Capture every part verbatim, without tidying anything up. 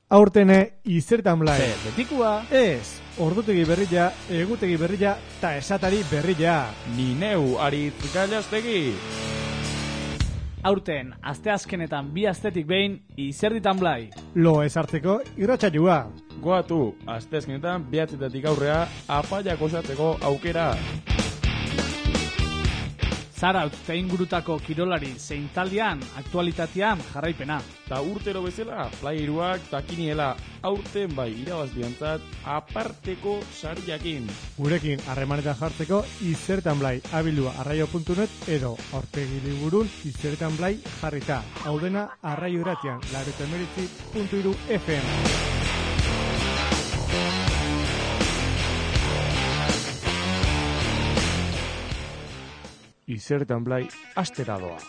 Aurtene izertan blai. Ze, betikua. Ez, ordutegi berria, egutegi berria, ta esatari berria. Ni neu Aritz Gallastegi. Aurten, asteazkenetan bi astetik behin, izerditan blai. Lo ezartzeko irratsaioa. Goatu, asteazkenetan behatzetatik aurrea, apaiak osatzeko aukera. Zaraut eta ingurutako kirolari zein taldean, aktualitatean jarraipena. Ta urtero bezala, playeruak takiniela aurten bai irabazbiantzat aparteko sariakin. Gurekin harremanetan jartzeko izertan blai abildua arraio puntu net edo aurpegi liburun izertan blai jarrita. Hau dena arraio irratian, laurogeita hemeretzi puntu hiru F M. Izertan blai astera doa.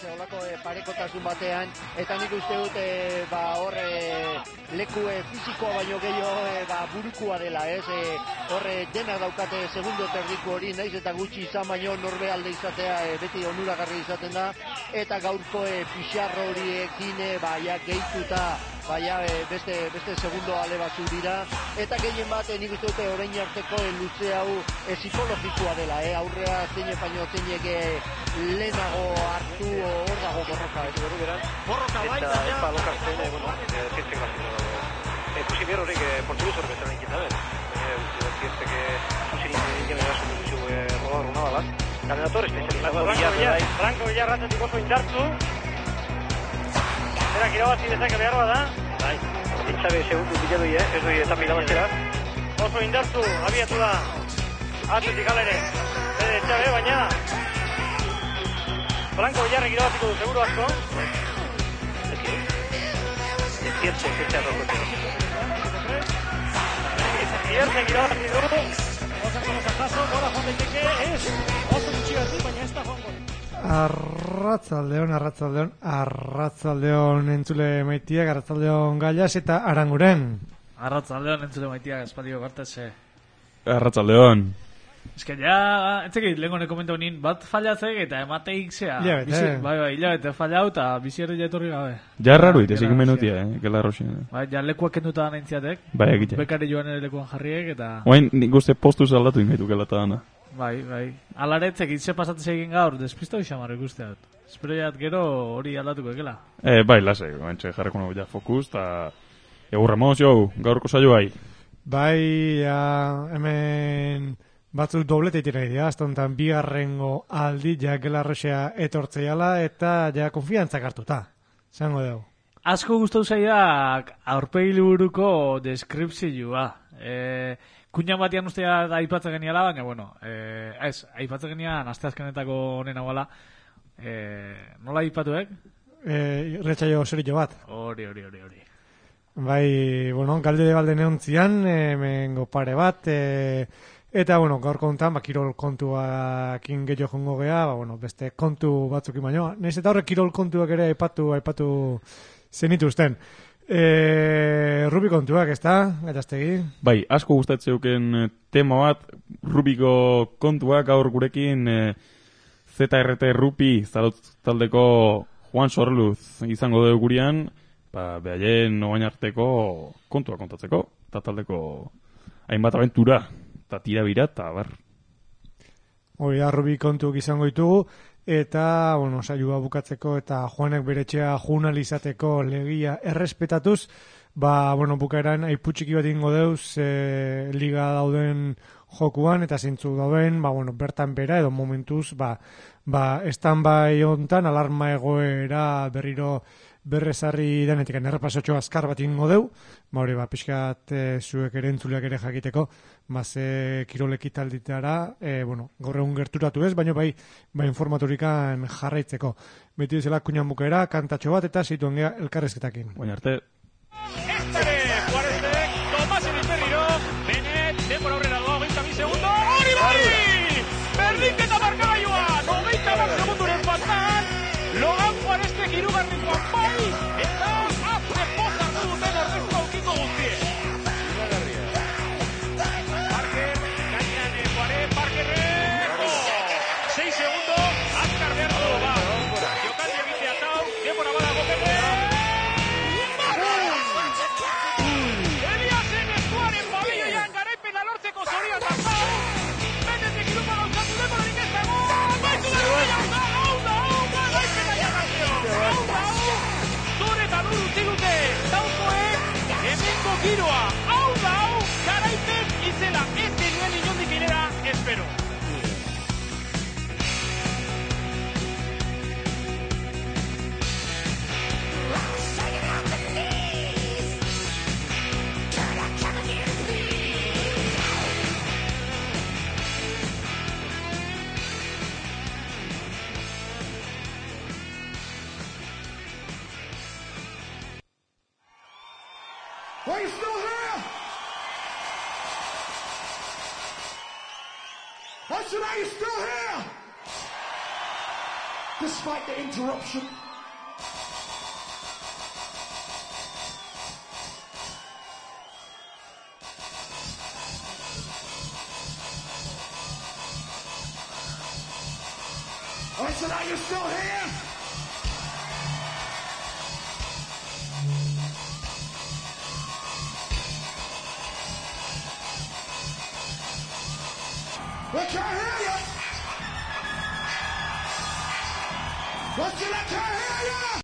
Olako e, parekotasun batean, eta nik uste dut e, ba, hor e, leku e, fizikoa baino gehiago e, ba, burukua dela, ez? E, hor e, denak daukate segundo terdiko hori, naiz eta gutxi izan baino norbe alde izatea e, beti onuragarri izaten da, eta gaurko e, pixarro horiekin e, ba, ja, gehituta baina e, beste, beste segundo ale batzu dira, eta gehien bat e, nik uste dute orain arteko e, luze hau e, psikologikoa dela, e, aurrea zeine baino zeinek e, lehenago hartu hor dago borroka, ez berru beran. Borroka bai, eta epa lokartzen, e, bueno, zientzen gazten dago. Ekusi behar horrek portuguz hor bezala ikin dabe. Zientzeke zuzerin egin erasun duzu rodar una balat. Kandidator espezializatu. Franco Villarratetik oso indartzu. Zerak irabazi dezake behar bada. Bai, itxabe segundu bila doi, eh? Ez doi eta pilabaztera. Oso indartzu, abiatu da. Atletik alere. Bede etxabe, baina Franco Villarrek irabaziko du, seguro asko. Ziertze, ziertze arrokote. Ziertze irabazi du. Osako losajazo, gora joan daiteke, ez. Oso gutxigati, baina ez da joango. Arratzaldeon, arratzaldeon, arratzaldeon entzule maitiak, arratzaldeon Gallas eta Aranguren. Arratzaldeon entzule maitiak, espaldio gartese. Arratzaldeon. Ez que ja, etzekit, lehenko komenta honin, bat fallatzek eta emateik zea. Hilabete. Bai, bai, hilabete fallau eta bizierri jatorri gabe. Ja erraru itezik menutia, eh, gela roxin. Bai, ja lekuak kenduta nintziatek. Bai, egitea. Bekari joan ere lekuan jarriek eta... Oain, nik uste postu zaldatu ingaitu gelata dana. Bai, bai. Alaretzek itse pasatzez egin gaur, despista bixamar ikusteat. Espero jat gero hori aldatuko ekela. Eh, bai, lasei, bantxe jarreko nago ja fokus, eta... Egur Ramos, jo, gaurko saio bai. Bai, ja, hemen... Batzuk doblete itira idea, aztontan bigarrengo aldi ja gelarroxea etortzeiala eta ja konfiantzak hartuta. Zango dugu. Asko gustau zaidak aurpegi liburuko deskripzioa. E, Kuñan batian ustea aipatzen geniala, baina, bueno, e, ez, aipatzen genian asteazkenetako honen hauala. E, nola aipatuek? E, Retxaio zerillo bat. Hori, hori, hori, hori. Bai, bueno, galde de balde neontzian, hemengo pare bat, e, eta, bueno, gaur kontan, ba, kirol kontuakin gehiago jongo gea, ba, bueno, beste kontu batzukin baino. Naiz eta horrek kirol kontuak ere aipatu, aipatu zenituzten. E, Rubi kontuak, ez da, Gallastegi? Bai, asko gustatzeuken tema bat, Rubiko kontuak gaur gurekin e, Z R T Rupi zaraut taldeko Juan Sorluz izango dugu gurean, ba, behaien oain arteko kontua kontatzeko, eta taldeko hainbat abentura. Eta tira bira, eta bar. Hori da, Rubi kontuk izango ditugu, eta, bueno, saioa bukatzeko, eta Juanek bere etxea journalizateko legia errespetatuz, ba, bueno, bukaeran aiputxiki bat ingo deuz, e, liga dauden jokuan, eta zintzu dauden, ba, bueno, bertan bera, edo momentuz, ba, ba, stand-by hontan, alarma egoera berriro berrezarri denetik, errepasotxo azkar bat ingo deu, ba hori, ba, pixkat e, zuek ere entzuleak ere jakiteko, ba, ze kiroleki talditara, e, bueno, gaur egun gerturatu ez, baina bai, ba, informatorikan jarraitzeko. Beti dizela Kuñan bukaera, kantatxo bat, eta zituen gea elkarrezketakin. Oain arte. Este Juarezek, Tomás Erizberriro, Benet, denbora aurrera doa, hogeita bi segundo, hori bai! Berdinketa markagailua, hogeita bat segunduren faltan, Logan Juarezek irugarrikoan bai, eta azte pozak duten horrezko aukiko guztie. Parker, gainean Juarez, Parker I said, are you still here? Despite the interruption. I said, are you still here? I can't hear you. I said, I can't hear you.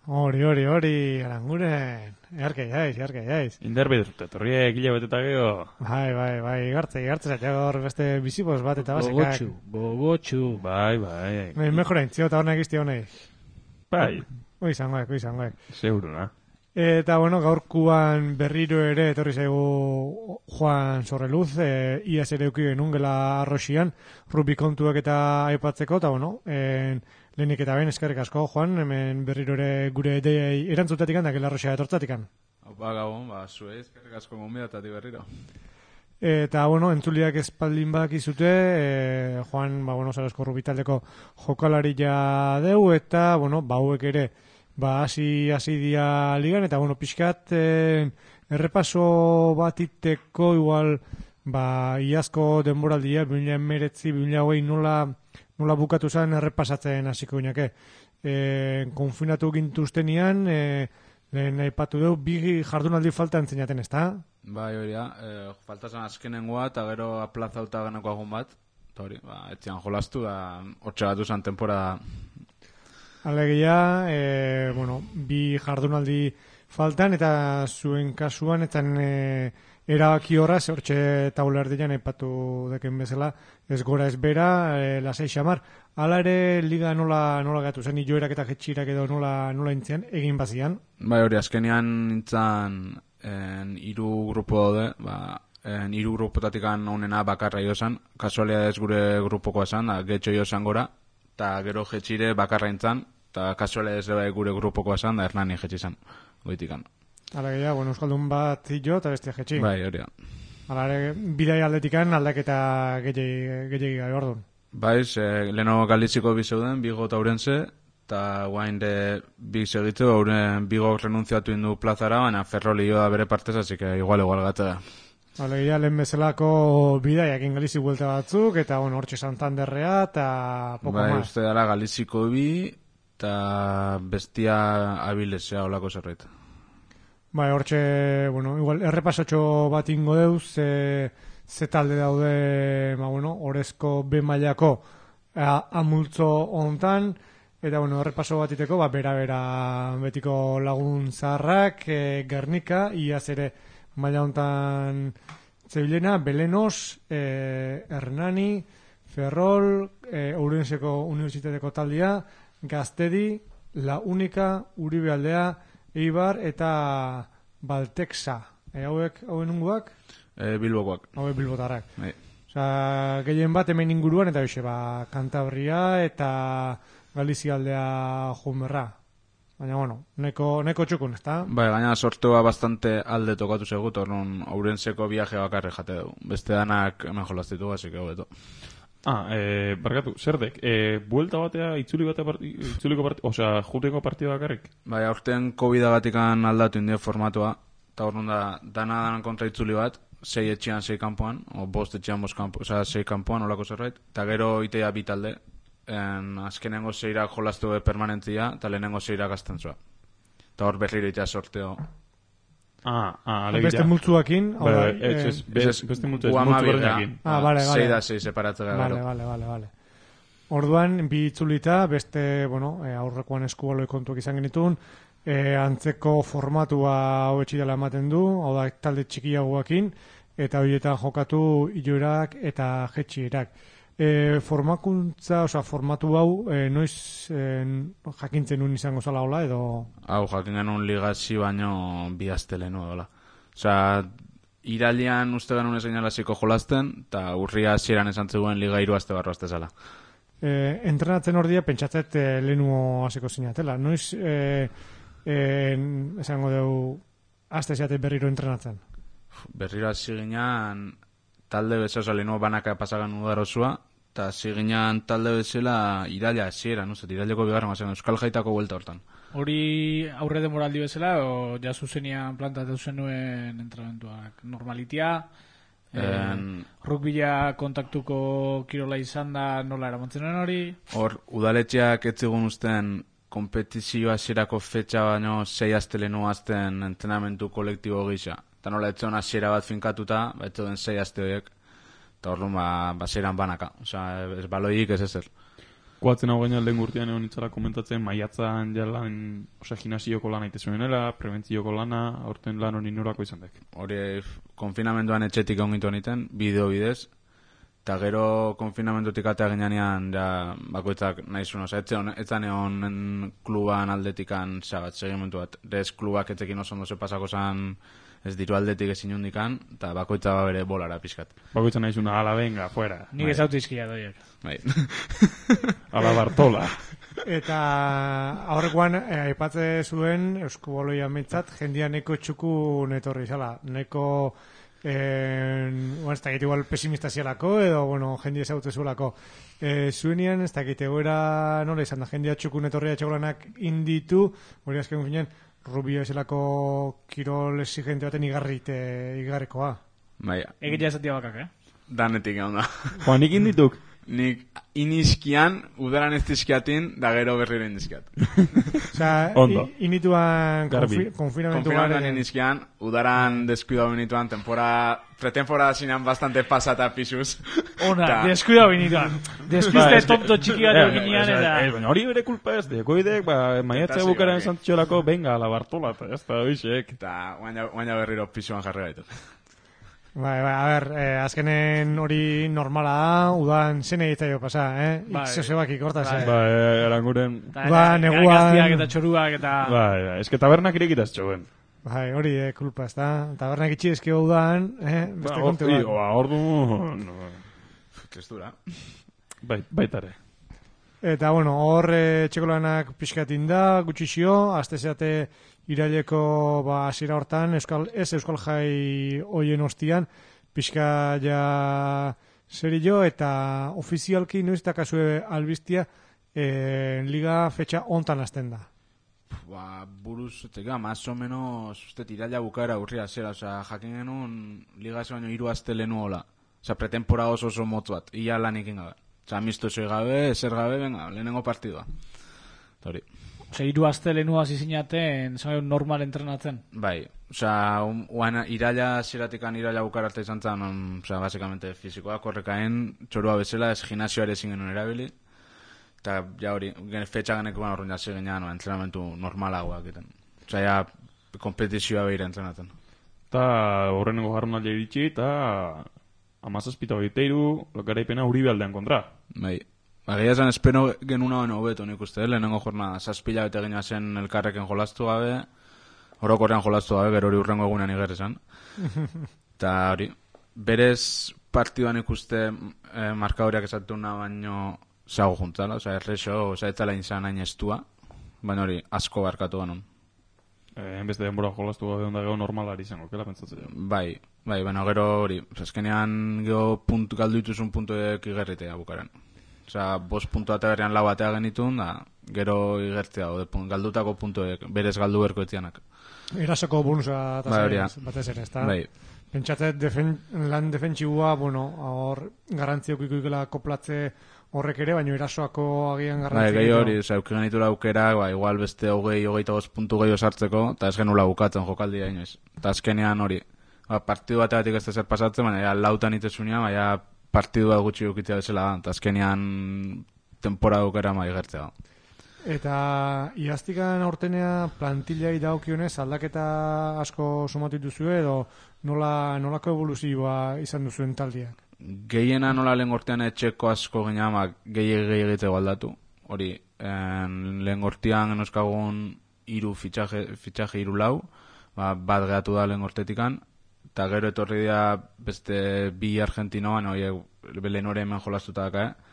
Hori, hori, hori, Aranguren. Earke jaiz, earke jaiz. Inderbit, etorrie egile beteta geho. Bai, bai, bai, igartze, igartze zaitu gaur beste bizibos bat eta basekak. Gogotxu, gogotxu. Bai, bai. Bai, mejora intzio eta honek izti honei. Bai, Hoi izangoek, hoi izangoek. seguro, na. Eta, bueno, gaurkuan berriro ere etorri zaigu Juan Sorreluz, e, iaz ere euki genuen gela arroxian, rubi kontuak eta aipatzeko, eta, bueno, en, lehenik eta ben eskerrik asko, Juan, hemen berriro ere gure ideiai erantzutatik handak gela arroxia etortzatik han. Ba, gabon, ba, zuei eskerrik asko gonbidatatik berriro. Eta, bueno, entzuliak espaldin bak izute, e, Juan, ba, bueno, Zarauzko rubitaldeko jokalari ja deu, eta, bueno, ba, hauek ere, ba, hasi hasi dia ligan, eta, bueno, pixkat, eh, errepaso bat iteko, igual, ba, iazko denboraldia, bi mila hemeretzi, bi mila hogei nola, nola bukatu zen errepasatzen hasiko gineke. E, konfinatu gintuztenian, e, lehen aipatu dugu, bi jardunaldi falta entzinaten, ez da? Bai, hori da, eh, falta zen azkenengoa, eta gero aplazauta ganako agun bat, eta hori, ba, etzian jolastu, da, hortxe batu zen temporada. Alegia, e, bueno, bi jardunaldi faltan, eta zuen kasuan, eta e, erabaki horra, hortxe taulerdian aipatu deken bezala, ez gora ez bera, e, lasei xamar. Hala ere, liga nola, nola gatu zen, joerak eta jetxirak edo nola, nola intzian, egin bazian. Bai, hori, azkenean nintzen en, iru grupo daude, ba, en, iru grupotatik honena bakarra josan, kasualidades gure grupokoa esan, da, getxo josan gora, eta gero jetxire bakarra intzan, eta kasualidades ere gure grupokoa esan, da Hernani jetxi zan, goitikan. Alegia, bueno, euskaldun bat jo eta bestia jetxi. Bai, hori da. Hala ere, bidai aldetikan aldaketa gehiagi gai ordun. Bai, ze, leheno Galiziko bi zeuden, Bigo eta Ourense, eta guain de bi segitzu, Ouren Bigo renunziatu indu plazara, baina Ferroli joa bere partez, así que igual igual gata da. Alegia, lehen bezalako bidaiak ingalizi buelta batzuk, eta, bueno, hortxe Santanderrea, eta poko bai, más. uste dara Galiziko bi, eta bestia abilesea olako zerbait. Bai, hortxe, bueno, igual, errepasotxo bat ingo deuz, ze, ze talde daude, ma, bueno, orezko B mailako a, amultzo hontan, eta, bueno, errepaso bat iteko, ba, bera-bera betiko lagun zaharrak, e, Gernika, iaz ere maila hontan zebilena, Belenos, e, Hernani, Ferrol, e, Ourenseko Unibertsitateko taldia, Gaztedi, La Única, Uribe Aldea, Eibar eta Baltexa. E, hauek, hauen unguak? E, Bilbokoak. Hauek bilbotarrak. Bai. Osa, gehien bat hemen inguruan, eta hoxe, ba, Kantabria eta Galizia aldea jumerra. Baina, bueno, neko, neko txukun, ezta? Bai, gaina sortua bastante alde tokatu segut, orduan Ourenseko viaje bakarri jate dugu. Beste danak hemen jolastitu, así que hobeto. Ah, eh, barkatu, zerdek, eh, buelta batea, itzuli batea, parti, itzuliko partida, osea, juteko partida bakarrik? Bai, aurten COVID-agatikan aldatu indio formatua, eta orduan da, dana danan kontra itzuli bat, sei etxean, sei kanpoan, o bost etxean, bost kanpoan, osea, sei kanpoan, olako zerbait, eta gero itea bitalde, en, azkenengo zeirak jolastu permanentzia, eta lehenengo zeirak astentzua. Eta hor berriro itea sorteo. Ah, ah, alegia. Beste multzuakin. Bai, bai, ez, ez, bez, beste multzu, ez, multzu berdinekin. Ah, vale, vale. Sei da, sei separatzea Vale, gero. vale, vale, vale. Orduan, bi itzulita, beste, bueno, e, aurrekoan eskubaloi kontuak izan genitun, e, antzeko formatua hobetxi dela ematen du, hau da, talde txikiagoakin, eta horietan jokatu ilorak eta jetxierak. E, formakuntza, oza, formatu hau, e, noiz e, jakintzen nun izango zala hola, edo... Hau, jakin genuen ligasi baino bi aste lehenu edola. Osea, iralian uste genuen ez gainalaziko jolasten, eta urria hasieran esan zegoen liga hiru aste barro aste zala. E, entrenatzen hor dia, pentsatzet e, lehenuo hasiko zinatela. Noiz, e, e, esango dugu, aste zeate berriro entrenatzen? Berriro hasi ginean talde bezala, lehenuo banaka pasagan udarozua, eta hasi ginean talde bezala iraila hasieran, no? Iraileko bigarren bazen, Euskal Jaitako buelta hortan. Hori aurre demoraldi bezala, o ja zuzenian plantatu zenuen entrenamentuak normalitia, En... rukbila kontaktuko kirola izan da nola eramantzen hori? Hor, udaletxeak etzigun usten kompetizio hasierako fetxa baino sei aste lehenu azten entrenamentu kolektibo gisa. Eta nola etzion hasiera bat finkatuta, ba etzion sei aste horiek, eta hor ba, ba zeiran banaka. Osa, ez baloik ez ezer. Koatzen hau gaina lehen gurtian egon itzala komentatzen, maiatzan jalan, osea, gimnasioko lana itezuenela, prebentzioko lana, aurten lan hori norako izan dek. Hori konfinamenduan etxetik ongitu honiten, bideo bidez, eta gero konfinamendutik atea ginean, ja, bakoitzak nahi zuen, oza, etzan egon kluban aldetikan, zabat, segimentu bat, rez klubak etzekin oso ondo ze pasako zan, ez diru aldetik ezin hundikan, eta bakoitza ba bere bolara pizkat. Bakoitza nahi zuna, ala, venga, fuera. Nik ez autizkia doiek. Bai. Ala Bartola. Eta aurrekoan eh, aipatze zuen Eusko Boloia metzat jendia neko txuku netorri zala. Neko eh, bueno, ez dakit igual pesimista zialako edo bueno, jendia ezautze zuelako. Eh, zuenian ez dakit egoera nola izan da jendia txuku netorria txegolanak inditu, hori azken finean Rubio ezelako kirol exigente baten igarrite igarrekoa. Bai. Egitea esatia bakak, eh? Danetik egon da. Joan, nik indituk. Nik inizkian, udaran ez dizkiatin, da gero berriro indizkiat. Osea, Ondo. inituan Garbi. konfi, konfinamentu Konfinamentuan garen. inizkian, udaran deskuida benituan, temporada, pretemporada zinean bastante pasata pisuz. Ona, Ta- deskuida binituan. Despiste eske- tonto txiki bat Ja, eginean ja, eta... eh, baina hori bere kulpa ez, dekoidek, ba, maiatzea Eta bukaren zigarri. zantziolako, venga, ala Bartola, eta ez da, oixek. Eta guaina, guaina berriro pisuan jarri gaitu. Bai, bai, a ber, eh, azkenen hori normala da, udan zen egitaio pasa, eh? Bai. Ikzosebak ikortaz, Bai. eh? Ba, eh, eranguren, Eta, Ba, eta neguan- gaztiak eta txoruak eta... ba, ja, eske tabernak irekitaz txoen. Bai, hori, eh, kulpa, ez da? Tabernak itxi ezkio udan, eh? Beste Ba, kontu hori, bat. ba, ordu, no, Tristura. bai, baitare. Eta, bueno, hor eh, txekolanak pixkatin da, gutxixio, azte zeate iraileko ba, hasiera hortan, euskal, ez euskal jai hoien ostian, pixka ja serio eta ofizialki noiz dakazue albistia eh, liga fetxa hontan hasten da. Ba, buruz, tega, más o menos, uste iraila bukaera urria zera, oza, jakin genuen liga ez baino hiru aste lehenu hola. Oza, pretemporada oso oso motz bat, ia lan ikin gabe. Oza, amistoso gabe, ezer gabe, venga, lehenengo partidua. Eta hori. Ose, hiru aste lehenu hasi zinaten, zan normal entrenatzen. Bai, oza, un, uan, iraila zeratikan iraila bukara arte izan zen, um, oza, basikamente fizikoa, korrekaen, txorua bezala, ez gimnasioare ezin genuen erabili. Eta, ja hori, gen, fetxa genekoan horren jase genean, entrenamentu normalagoak egiten. Oza, ja, kompetizioa behira entrenatzen. Eta horrenengo jarronaldia iritsi, eta amazazpita hogeiteiru, lokaraipena Uribe aldean kontra. Bai. Ba, gehiago zen, espero genuna baino hobeto nik uste, lehenengo jorna zazpila bete gina zen elkarreken jolastu gabe, orokorrean jolastu gabe, gero hori urrengo egunean igerri zen. Eta hori, berez partiduan ikuste eh, markadoriak esatuna baino zago juntzala, oza, errexo, oza, etzala inzan hain estua, baina hori, asko barkatu ganun. Eh, enbeste denbora jolastu gabe onda gero normalari izango, kela pentsatzen jo. Bai, bai, baina gero hori, oza, azkenean gero puntu, galdu dituzun puntuek igerritea bukaren. Osa, bost puntu eta berrean lau atea genitun, da, gero igertzea, ode, pun, galdutako puntuek, berez galdu berko etzianak. Erasoko bonusa eta Bai, hori da. batez ere, ez da? Bai, Pentsatzen defen, lan defentsibua, bueno, hor garrantziok ikuikela koplatze horrek ere, baina erasoako agian bai, garrantzi. gehi hori, oza, euki genitura aukera, ba, igual beste hogei, hogeita bost puntu gehiago sartzeko, eta ez genula bukatzen jokaldia inoiz. Eta azkenean hori, ba, partidu bategatik ez da zer pasatzen, baina ja, lautan itezunia, baina partidua gutxi ukitzea bezala da, eta azkenean temporada aukera ma igertzea. Eta iaztikan aurtenea plantillai daukionez aldaketa asko sumatu dituzue edo nola, nolako evoluzioa izan duzuen taldiak? Gehiena nola lehen gortean etxeko asko ginean, gehi gehi egiteko aldatu. Hori, en, lehen gortean genozkagun iru fitxaje, fitxaje iru lau, ba, bat gehatu da lehen gortetikan, eta gero etorri dira beste bi argentinoan, horiek lehen hori hemen jolastuta daka, eh?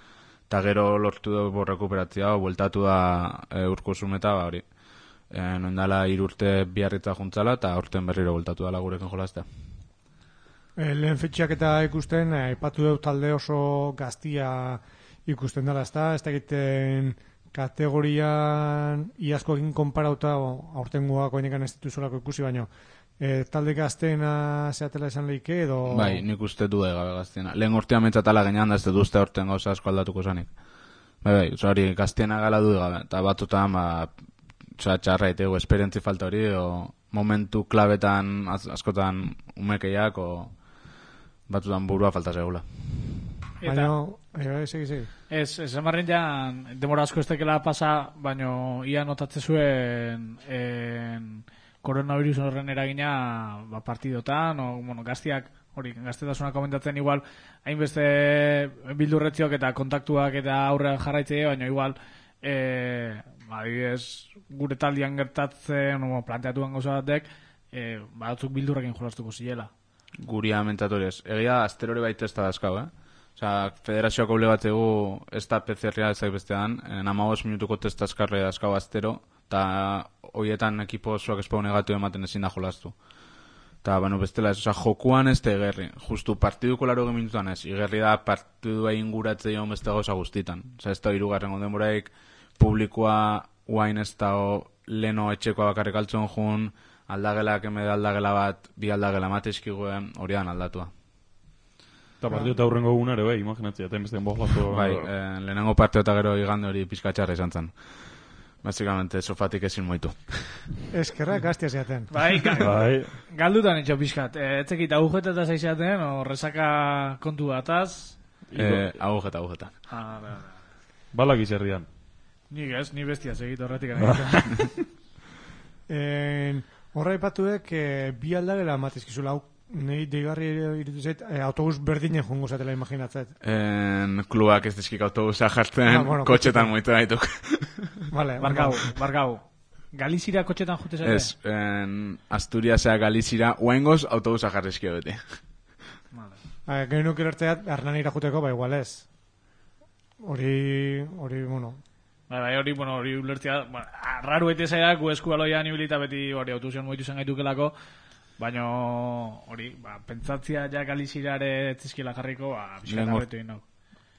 Eta gero lortu dugu rekuperatzea, bueltatu da e, urko zumeta, ba, hori. E, noindala irurte biarritza juntzala, eta aurten berriro bueltatu dala gurekin jolaztea. E, lehen fetxeak eta ikusten, aipatu dut talde oso gaztia ikusten dela, ezta? Ez da egiten kategorian iazkoekin konparauta, aurten guak oinekan ez dituzulako ikusi, baino e, talde gazteena zeatela esan lehike edo... Bai, nik uste du gabe gazteena. Lehen urtean mentzatala genean da ez duzte urtean gauza asko aldatuko zanik. Bai, bai, oza, hori gazteena gala du gabe. Eta batutan, ba, oza, txarra etego, esperientzi falta hori, o momentu klabetan az, askotan umekeiak, o batutan burua falta segula. Baina, Bai, segi, segi. Ez, ez emarren jan, demora asko ez tekela pasa, baino ia notatze zuen en, koronavirus horren eragina ba, partidotan, o, bueno, gaztiak, hori, gaztetasuna komentatzen igual, hainbeste bildurretziok eta kontaktuak eta aurrean jarraitzea, baina igual, e, adibidez, gure taldian gertatzen, o, planteatuan gauza batek, e, batzuk bildurrekin jolastuko zilela. Guria mentatoriez. Egia, astero hori baita ez da dazkau, eh? Osa, federazioak obligatzegu ez da P C R-a ezak bestean, amabos minutuko test azkarre dazkau astero, eta horietan ekipo osoak espau negatu ematen ezin da jolastu. Eta, bueno, bestela ez, oza, jokuan ez da egerri. Justu partiduko laro minutuan ez, igerri da partidu egin guratze joan beste gauza guztitan. Oza, ez da irugarren ondemoraik, publikoa uain ez da leno etxekoa bakarrik altzon jun, aldagelak emede aldagela bat, bi aldagela matezkiguen, hori dan aldatua. Eta partidu eta hurrengo gunare, bai, imaginatzea, eta enbestean bojlazko... Bai, eh, lehenengo partio eta gero igande hori pizkatxarra izan zen. Básicamente, sofatik ezin moitu. Eskerra gaztia zeaten. Bai, ga, Bai. galdutan etxo pixkat. E, etzekit agujeteta zaizaten, o resaka kontu bataz. Eh, agujeta, agujeta. Ah, da, da. Balak izerdian. Nik ez, ni bestia segit horretik. En, horra ipatuek, e, bi aldagela matizkizula, hau, nahi deigarri iritu zait, e, autobus berdinen jongo zatela imaginatzet. En, klubak ez dizkik autobusa jartzen, Ah, bueno, kotxetan moitu gaituk. Vale, Barkau, barkau. Galizira kotxetan jute zate? Ez, en, Asturiasea Galizira, uaingoz autobusa jarrizkio beti. vale. Gero nuke lertzeat, Hernanira juteko, ba igual ez. Hori, hori, bueno, Bai, bai, hori, bueno, hori ulertzea, bueno, arraru ete zaidak, gu eskubaloian ibilita beti hori autobusion moitu zen gaitukelako, baina hori, ba, pentsatzia ja Galizirare etzizkiela jarriko, ba, pixka Lehengo- garretu ino.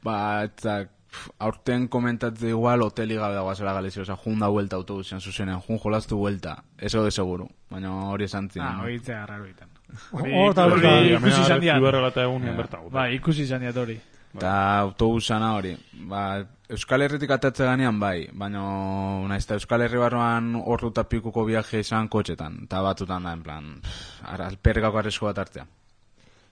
Ba, etzak, pf, aurten komentatze igual hoteli gabe dagoazela Galizia, oza, jun da vuelta autobusian zuzenen, jun jolastu vuelta, eso de seguro, baina hori esan zien. Ah, hori itzea arraru iten. Hor da, hor hori da. ikusi izan dian. Iberrela egunean bertago. Bai, ikusi izan diat hori. Eta autobusana hori, ba, Euskal Herritik atatze ganean bai, baina naiz eta Euskal Herri barruan ordu pikuko viaje izan kotxetan, eta batutan da, en plan, pff, ara, alpergako arresko bat hartzea.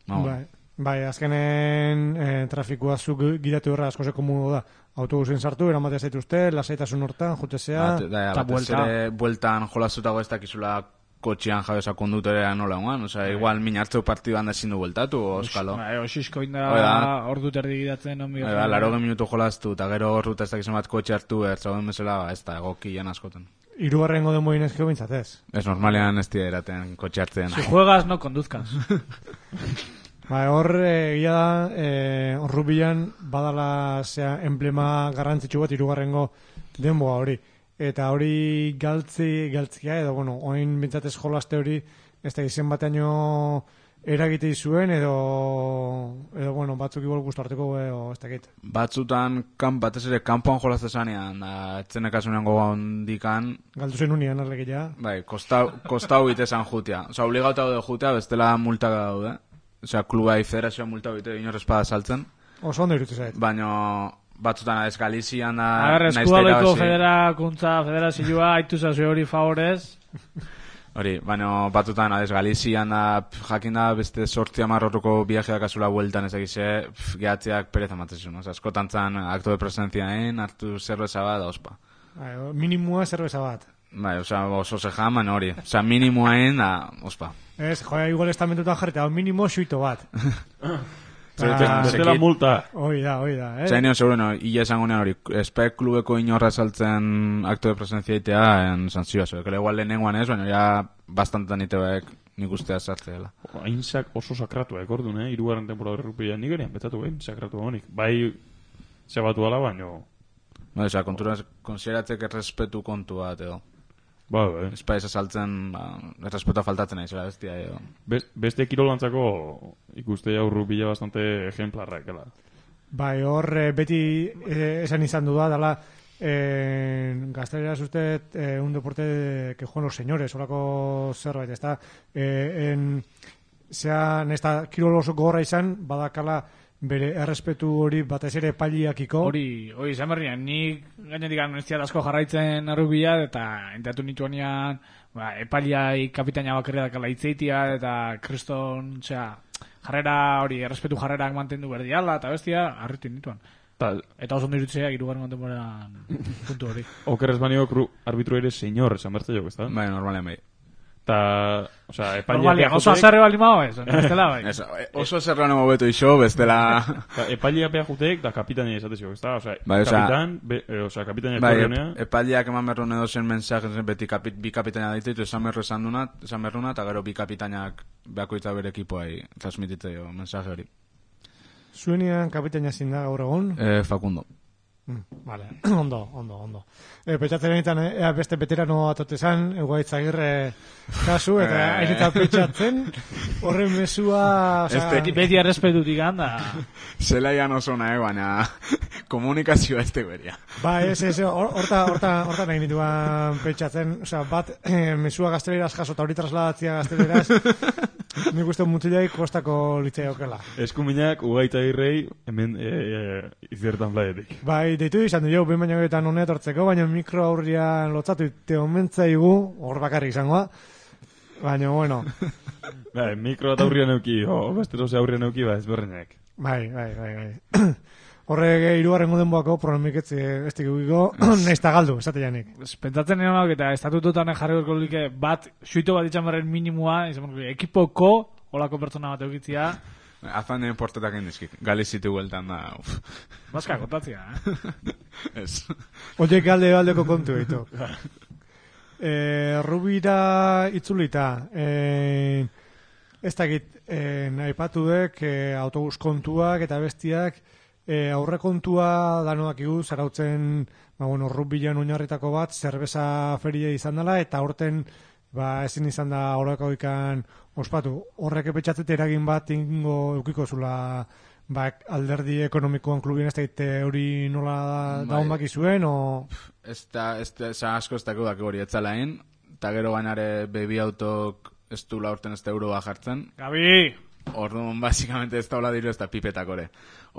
No, bai, bai, azkenen e, trafikoa zuk gidatu horra asko zeko modu da. Autobusen sartu, eramatea zaituzte, lasaitasun hortan, jutezea, bat, da, eta batez buelta. ere bueltan jolaztutago ez dakizula kotxean jabeza kondutorea nola guan, oza, igual min hartzeu partiduan da ezin du bueltatu, oskalo. Bai, osisko inda Hoi da. ordu terdi gidatzen onbi. Bai, ba, laro minutu jolaztu, eta gero horruta ez dakizun bat kotxe hartu, ertzauden bezala, ba, ez da, egokian askoten. hirugarrengo denboin ezkio bintzatez. Ez normalean ez dira eraten kotxe hartzen. Si juegas, no conduzcas. Ba, hor, egia da, e, horrubilan badala zea emblema garrantzitsu bat hirugarrengo denboa hori. Eta hori galtzi, galtzia edo, bueno, oin bintzatez jolaste hori, ez da izen bateaino eragite zuen edo, edo, bueno, batzuk igual gustu harteko edo, ez dakit. Batzutan, kan, batez ere, kanpoan jolazte zanean, da, etzenekasunean goga hondikan, Galdu zen unian arlekia. bai, kostau, kostau bitezan jutea. Osa, obligauta daude jutea, bestela multak daude. Osea, klubai federazioa multa bite inorrez espada saltzen, Oso ondo irutu zait. baina batzutan ez Galizian da... A ver, nahiz eta eskubaloiko irabazi. federakuntza, federazioa, haitu zazu hori favorez. Hori, baina batzutan adez Galizian da, pf, jakin da beste sortzi amarrotuko viajeak azula bueltan ez egize, gehatzeak pereza matzesun. Osa, askotan zan akto de presentziaen, hartu zerbeza bat, da ospa. Bai, minimua zerbeza bat. Bai, osa, oso ze jaman hori. Osa, minimoaen, da, ospa. Ez, joa, igual estamentutan jarreta, hau minimo xuito bat. Bestela Zekit- multa. Hoi da, hoi da, eh? Zain nio, seguro, no, illa esango nean hori, espek klubeko inorra saltzen akto de presentzia itea, en sanzioa, zo, ekele igual lehenengoan ez, baina ja bastantan itebeek nik ustea sartze dela. Hain sak oso sakratua ekordun, eh? Irugarren temporada errupia nigerian, betatu hain sakratua honik. Bai, zebatu ala, baino... No, oza, kontura konsideratzek errespetu kontu bat, edo. Ba, bai. Espa ez saltzen, ba, errespetua faltatzen nahi, zela bestia, edo. Best, beste kirolantzako ikuste jau rupia bastante ejemplarra ekela. Bai, hor eh, beti eh, esan izan du da, dala, eh, gazteleraz usted eh, un deporte que juegan los señores, horako zerbait, ez da, eh, en, zea, nesta kirol oso gogorra izan, badakala bere errespetu hori batez ere epailiakiko. Hori, hori, izan berrian, nik gainetik anuestia asko jarraitzen errubia, eta enteatu nituanean, ba, epaliai kapitaina bakarri dakala itzeitia, eta kriston, osea, jarrera hori, errespetu jarrerak mantendu berdiala, eta bestia, harritu nituan. Ta, Eta oso ondo irutzea, irugarren kontemporan puntu hori. okerrez baniok arbitro ere señor esan bertze jok, ez da? Bai, normalean bai. Ta, osea, epaileak Normalia, oso azarre bali mao ez, bestela bai. Ez, oso zerran emo beto iso, bestela... Epaileak beha juteek, da kapitania esatezio, ez da? Osea, Bai, osea- kapitan, be, e, osea, kapitania Bai, korreonea, epaileak eman berrun edo zen mensaje zen beti kapit, bi kapitaina ditu, esan berru esan duna, esan berruna, eta gero bi kapitainak beakoitza bere ekipoai transmititzeo mensaje hori. Zuenian kapitaina zin da gaur egun. Eh, Facundo. Mm, vale, ondo, ondo, ondo. E, petxatzen egiten, ea beste veterano atotezan, Eguaitz Agirre kasu, eta Eh. airetan petxatzen, horren mesua... Osea, Beti, beti errespetutik handa. Zelaian oso nahi, baina komunikazioa ez tegoeria. Ba, ez, ez, hor- horta, horta, horta nahi nituan petxatzen, osea, bat, eh, mesua gazteleraz jaso, eta hori trasladatzia gazteleraz, nik uste mutilai kostako litzaiokeela. eskuminak ugaita irrei, hemen e, e, iziertan plaietik. Bai, deitu izan du jau, behin baino getan honea tortzeko, baina mikro aurrian lotzatu te omentzaigu, hor bakarrik izangoa, baina, bueno, Bai, mikro bat aurrian euki, o, bestero ze aurrian euki, ba, ezberdinak. bai, bai, bai, bai. Horrek irugarren goden boako problemik ez ez dikiko, nahiz ta galdu, esate janik. Pentsatzen nionak eta estatututan jarri gorko like bat, suito bat itxan berren minimua, izan berren, ekipoko, olako pertsona bat eukitzia, Afan den portetak indizkik. Galizitu gueltan da, uf. bazka kontatzia, eh? Ez. Oiek galde galdeko kontu ditu. e, Rubira itzulita, e, ez dakit, e, aipatu dek, e, autobus kontuak eta bestiak, e, aurre kontua danoak igu, zarautzen, ba, bueno, Rubilan oinarritako bat, zerbeza feria izan dela, eta horten, ba, ezin izan da horreko ikan ospatu. Horrek epetxatzete eragin bat ingo eukiko zula, ba, alderdi ekonomikoan klubien ez dakit hori nola Bai. daun baki zuen, o... Ez da, ez da, ez asko ez dako dako hori etzalain, eta gero gainare bebi autok ez du laurten ez da euroa jartzen. Gabi! Orduan, basikamente ez daula diru ez da pipetak ore.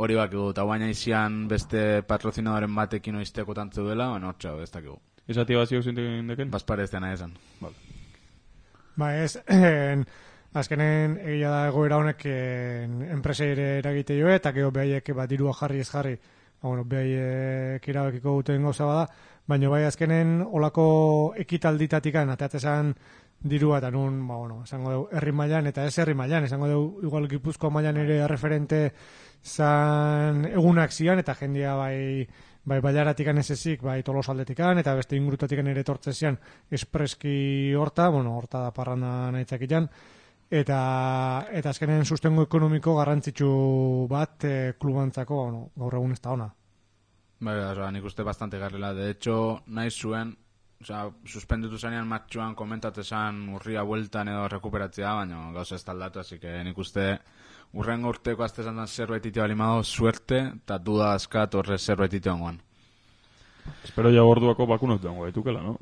Hori bakigu, eta baina izian beste patrozinadoren batekin oizteko tantzu dela, baina hor txau, ez dakigu. Esati baziok zintek deken? Bazpare ez dena esan. Ba ez, en, azkenen egia da egoera honek en, enpresei ere eragite joe, eta gero behaiek bat dirua jarri ez jarri, ba, bueno, behaiek irabekiko duten gauza bada, baina bai azkenen olako ekitalditatikan, ateatzezan dirua eta nun, ba, bueno, esango dugu herri mailan eta ez herri mailan, esango dugu igual Gipuzkoa mailan ere referente zan egunak zian, eta jendia bai bai bailaratikan ez ezik, bai Tolosaldetikan, eta beste ingurutatikan ere tortzezian espreski horta, bueno, horta da parranda nahitzakitan, eta, eta azkenen sustengo ekonomiko garrantzitsu bat e, klubantzako, bueno, gaur egun ez da ona. Bai, oza, nik uste bastante garrela. De hecho, nahi zuen, oza, suspenditu zanean matxuan komentatezan urria bueltan edo rekuperatzea, baina gauza ez taldatu, así que nik uste urrengo urteko azte zantan zerbait ite balimado suerte, eta duda askat horre zerbait ite ongoan. Espero ja gorduako bakunot dengo gaitukela, no?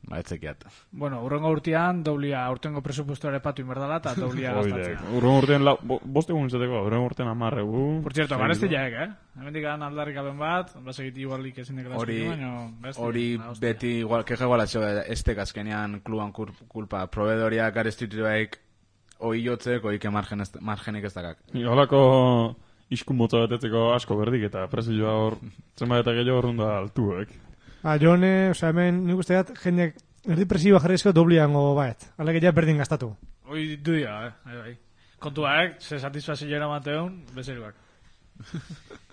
Ba, etzekiat. Bueno, urrengo urtean, doblia, urtengo presupuestoare patu inberdala, eta doblia gastatzea. Urren urtean, la, bo, boste egun izateko, urren urtean amarregu. Por cierto, garezti jaek, eh? Hemen dikan aldarrik aben bat, basegit igualik ezin dekela Hori, hori beti igual, keja igual atxo, estek azkenean kluban kur, kulpa, proveedoria gareztituaik oiotzek, oike margen ez, margenik ez dakak. Holako iskun motza batetzeko asko berdik, eta presioa hor, zenbat eta gehiago horrunda altuek. Ba, jone, oza, hemen, nik uste dat, jendeak erdi presioa jarrizko dobliango baet. Aleke ja berdin gastatu. Hoi duia, eh? Bai, bai. Kontuak, ze satisfazioa mateun, bezeruak.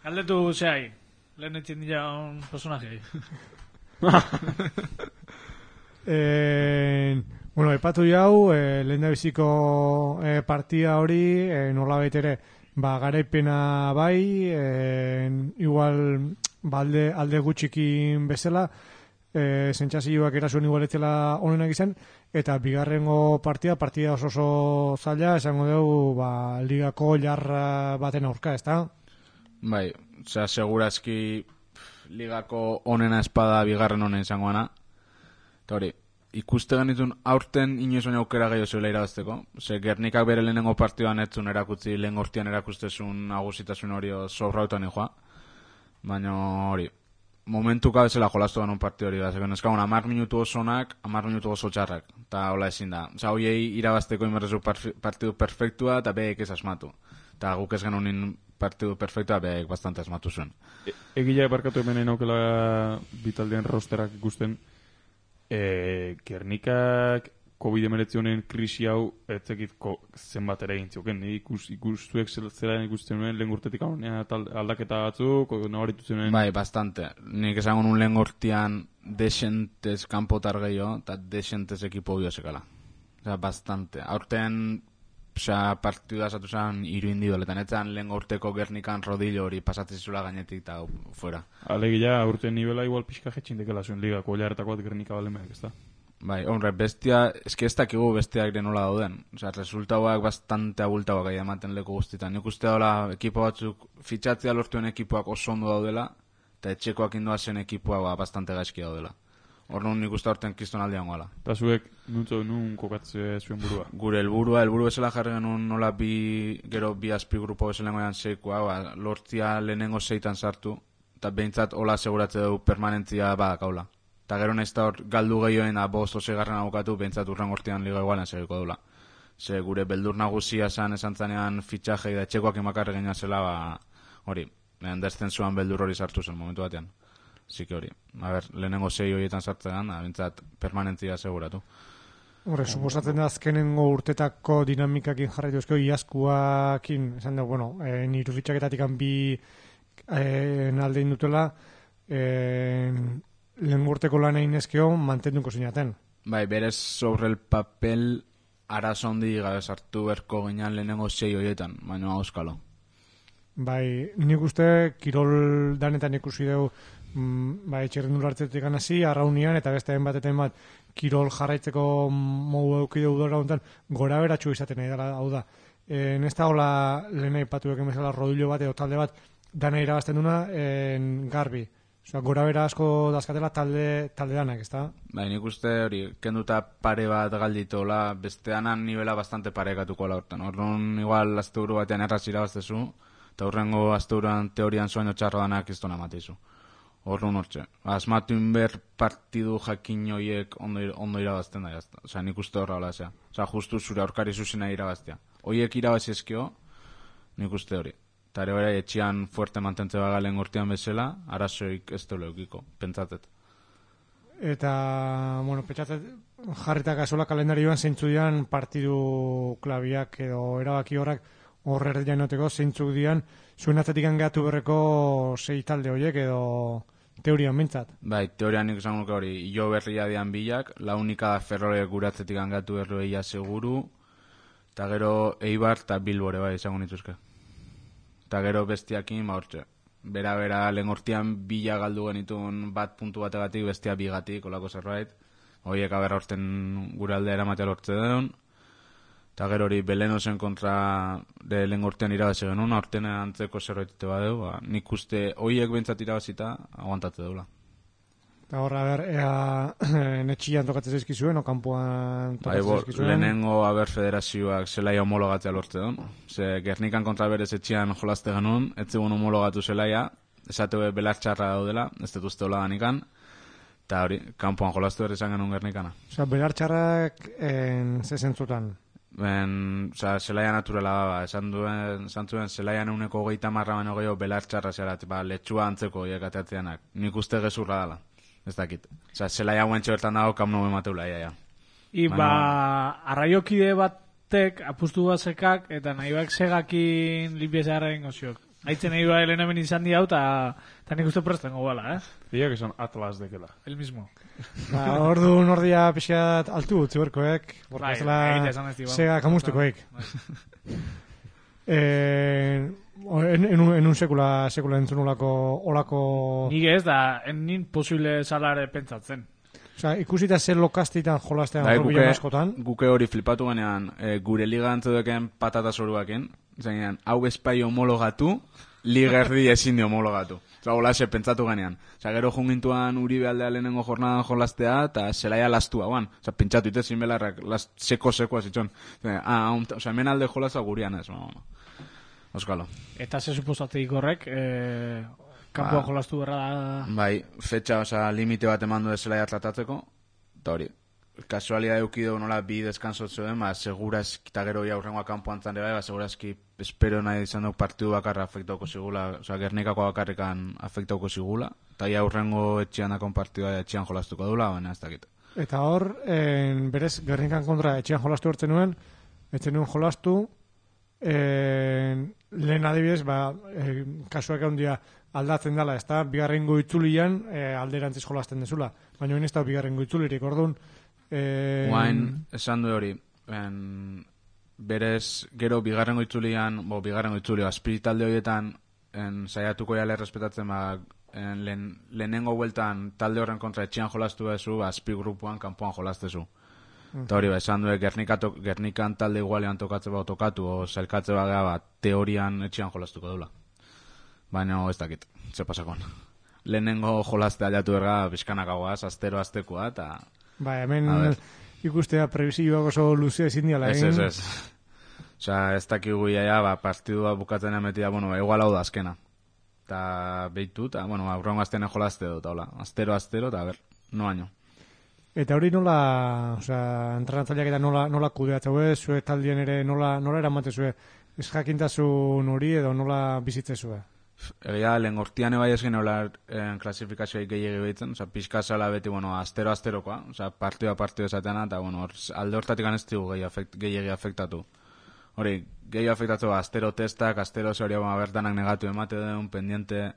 Galdetu zehai, lehen etxin dira un personajei. Eh, bueno, epatu jau, eh, lehen da biziko eh, partida hori, eh, nola baitere, ba, garaipena bai, eh, igual balde alde gutxikin bezala, eh, zentxazioak erasuen igual etzela honenak izan, eta bigarrengo partida, partida oso oso zaila, esango dugu, ba, ligako jarra baten aurka, ez da? Bai, osea, segurazki pff, ligako onena espada bigarren honen izangoana. Eta hori, ikuste genitun aurten inoiz baina aukera gehiago zuela irabazteko. Ze Gernikak bere lehenengo partioan etzun erakutzi, lehen gortian erakustezun agusitasun hori sobrautan joa. Baina hori, momentuka bezala jolastu genuen partio hori da. Zeken eskagun, amar minutu osonak, amar minutu oso txarrak. Eta hola ezin da. Osa, hoiei irabazteko inberrezu partidu perfektua eta behek ez asmatu. Eta guk ez genuen partidu perfectoa behek bastante asmatu zuen. E, Egia barkatu hemen naukela bitaldeen rosterak ikusten, e, Gernikak covid hemeretzi honen krisi hau etzekit zenbat ere egin ikus, ikustuek zela ikusten nuen lehen urtetik aldaketa batzuk, nabaritu zenuen. Bai, bastante. Nik esango nun lehen urtean desentez kanpotar gehiago, eta desentez ekipo biozekala. Osa, bastante. Aurten, osa, partidua esatu zen iru individualetan, etzan lehen urteko Gernikan rodillo hori pasatzen zula gainetik eta fuera. Alegia, aurten nivela igual pixka jetxindekela zuen ligako, oilaretakoat Gernika balemeak, ez da? Bai, hombre, bestia, eski ez dakigu bestiak denola dauden. Osea, resultauak bastante abultauak gai ematen leku guztitan. Nik uste dola, ekipo batzuk, fitxatzea lortuen ekipoak oso ondo daudela, eta etxekoak indoazen ekipoak ba, bastante gaizki daudela. Hor nun nik uste horten kiston aldean goala. Eta zuek, nuntzo, nun kokatze zuen burua? Gure helburua, helburu bezala jarri genuen nola bi, gero bi azpi grupo bezala goian seikoa, ba, lortzia lehenengo seitan sartu, eta behintzat hola aseguratze dugu permanentzia badakaula. Eta gero nahiz da hor galdu gehioen da bost osegarren abokatu behintzat urren gortian liga igualen segiko dula. Ze gure beldur nagusia esan esan zanean fitxaje da etxekoak emakarre gena zela, ba, hori, lehen deszensuan beldur hori sartu zen momentu batean. Zike hori, a ber, lehenengo sei horietan sartzean, da, behintzat permanentzia aseguratu. Horre, suposatzen da azkenengo urtetako dinamikakin jarraitu ezkeo, iazkuakin, esan da, bueno, e, niru fitxaketatik bi e, naldein dutela, e, lehen urteko lan egin ezkeo mantenduko zinaten. Bai, berez sobre el papel arazo handi gabe sartu berko ginean lehenengo sei horietan, baina auskalo. Bai, nik uste kirol danetan ikusi dugu mm, bai, txerrendul hartzetik hasi arraunian eta beste batetan bat kirol jarraitzeko modu eduki dugu dara honetan gora beratxu izaten nahi dela, hau da. E, Nesta hola lehen aipatu eken bezala rodillo bat edo talde bat dana irabazten duna en garbi. Osa, gora bera asko dazkatela talde, talde danak, ezta? Bai, nik uste hori, kenduta pare bat galditola, besteanan nivela bastante parekatuko la hortan. Horren igual asteburu batean erraz irabaztezu, eta horrengo asteburuan teorian sueño txarro danak iztona matizu. Horren hortxe. Asmatu inber partidu jakin hoiek ondo, ondo irabazten da, jazta. Osa, nik uste horra hola, zea. Osa, justu zure aurkari zuzena irabaztea. Hoiek irabazi ezkio, nik uste hori. Eta ere bera, etxian fuerte mantentze bagalen urtean bezala, arazoik ez dole eukiko, pentsatet. Eta, bueno, pentsatet jarritak azola kalendarioan zeintzu dian partidu klabiak edo erabaki horrak horre jainoteko zeintzuk dian zuen atzetik angatu berreko sei talde horiek edo teorian bintzat. Bai, teorian nik esan nuke hori, jo berria dian bilak, la unika Ferrore guratzetik angatu berroia seguru, eta gero Eibar eta Bilbore bai izango nituzke. Eta gero bestiakin, ba hortxe. Bera-bera, lehen hortian bila galdu genitun bat puntu bategatik, bestia bigatik, olako zerbait. Hoiek aberra horten gure aldea eramatea lortze den. Eta gero hori Belenosen kontra de lehen hortian irabazi genuen, horten antzeko zerbaitite badeu, ba, nik uste hoiek bentsat irabazita, aguantatze deula. Eta horra, ber, ea netxian tokatzen zaizkizuen, o kanpoan tokatzen bai, zaizkizuen. Lehenengo aber federazioak zelaia homologatzea lortze duen. Ze Gernikan kontra berez etxian jolazte genuen, etzegun homologatu zelaia, esate belartxarra daudela, ez dut uste hola danikan, eta hori, kanpoan jolaztu berez izan genuen Gernikana. Osa, belartxarrak en ze zentzutan? Ben, oza, zelaia naturala ba, esan duen, esan zuen, zelaia neuneko hogeita marra baino gehiago belartxarra zerat, ba, letxua antzeko hiek ateatzeanak. Nik uste gezurra dela. Ez dakit. Osa, zelaia guentxo bertan dago, kam nobe mateula, ia, ia. I, ba, arraiokide batek apustu bat sekak, eta nahi bak segakin limpiezaren oziok. Aitzen nahi ba, helen hemen izan di hau, eta nik uste presten gobala, eh? Diak esan Atlas dekela. El mismo. Ba, ordu nordia pixkat altu utzi berkoek, Bai, borkazela egite esan ez di, ba. sega kamustukoek. Eh, en, en, un, en un sekula, sekula entzun olako, olako... Nik ez da, en nin posible salare pentsatzen. Osa, ikusita zer lokastitan jolastean Bai, Robillon guke, askotan. guke hori flipatu ganean, e, gure liga antzudeken patata zoruaken, zenean, hau espai homologatu, liga erdi ezin di homologatu. Osa, hola se pentsatu ganean. Osa, gero jungintuan Uribe aldea lehenengo jornadan jolastea, eta zelaia lastua guan. Osa, pentsatu ite zin belarrak, seko-sekoa zitzon. Ah, osa, hemen alde jolazua gurian ez, no, no. Euskalo. Eta ze suposateik horrek, eh, kanpoan Ba, jolastu berra da... Bai, fetxa, oza, limite bat eman du zelaia tratatzeko, eta hori, kasualia eukido nola bi deskansotzuen, ba, segurazki, eta gero ja urrengoa kanpoan zan bai, ba, segurazki espero nahi izan duk partidu bakarra afektauko zigula, oza, Gernikako bakarrikan afektauko zigula, eta ja urrengo etxean dakon partidua etxean jolastuko dula, baina ez dakit. Eta hor, en, berez, Gernikan kontra etxean jolastu hortzen nuen, etxen nuen jolastu, en, lehen adibidez, ba, e, kasuak handia aldatzen dela, ez da, bigarrengo itzulian e, alderantziz jolasten dezula, baina ez da bigarrengo itzulirik, orduan, Eh, Guain, esan du hori, en, berez, gero bigarrengo itzulian, bo, bigarrengo itzulio, espiritalde horietan, en, saiatuko jale respetatzen, ba, en, lehen, lehenengo bueltan talde horren kontra etxean jolastu bezu, ba, azpi grupuan kanpoan jolastezu. Eta uh-huh. hori, ba, esan du, Gernikato, Gernikan talde igualean tokatze ba, tokatu, o zailkatze ba, ba, teorian etxean jolastuko dula. Baina ez dakit, ze pasakon. Lehenengo jolaste aliatu erga, bizkanakagoaz, astero astekoa, eta... Ba, hemen ikustea prebisioak oso luzea ezin diala egin. Ez, ez, ez. Osa, ez dakigu iaia, ba, partidua bukatzen emetia, bueno, igual hau da azkena. Eta behitu, eta, bueno, aurrengo aztenen jolazte dut, hola. Astero, astero, eta ber, no año. Eta hori nola, osea, entrenatzaileak eta nola, nola kudeatzeu, zue taldien ere nola, nola eramatezue, ez jakintasun hori edo nola bizitzezue? Egia, lehen gortian ebai ez genola klasifikazioa gehiagi behitzen, oza, pixka zala beti, bueno, astero-asterokoa, oza, partioa partio esateana, eta, bueno, or, alde hortatik ez dugu gehiagi afekt, afektatu. Hori, gehiagi afektatu, astero testak, astero zori hau bertanak negatu emate duen, pendiente,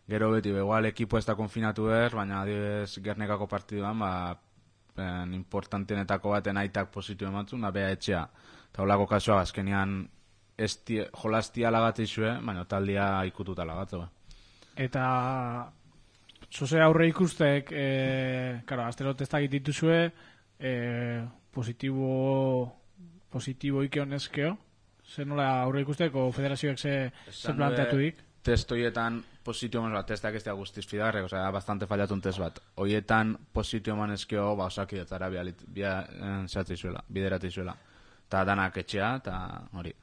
gero beti, begoal, ekipo ez da konfinatu er, baina adibidez Gernikako partiduan, ba, en, importantienetako baten aitak positu ematzen, da beha etxea, eta holako kasua, azkenian, Estie, jolastia lagatzizue, baina taldia ikututa lagatzue. Eta zoze aurre ikustek, e, karo, astero testak dituzue, e, positibo, positibo ike honezkeo? Zer nola aurre ikusteko federazioak ze, ze planteatu dik? Testoietan positio eman, testak ez da guztiz fidarrek, osea, bastante fallatun test bat. Hoietan positio eman ezkeo, ba, osakidetzara bideratizuela. Eta danak etxea, eta hori.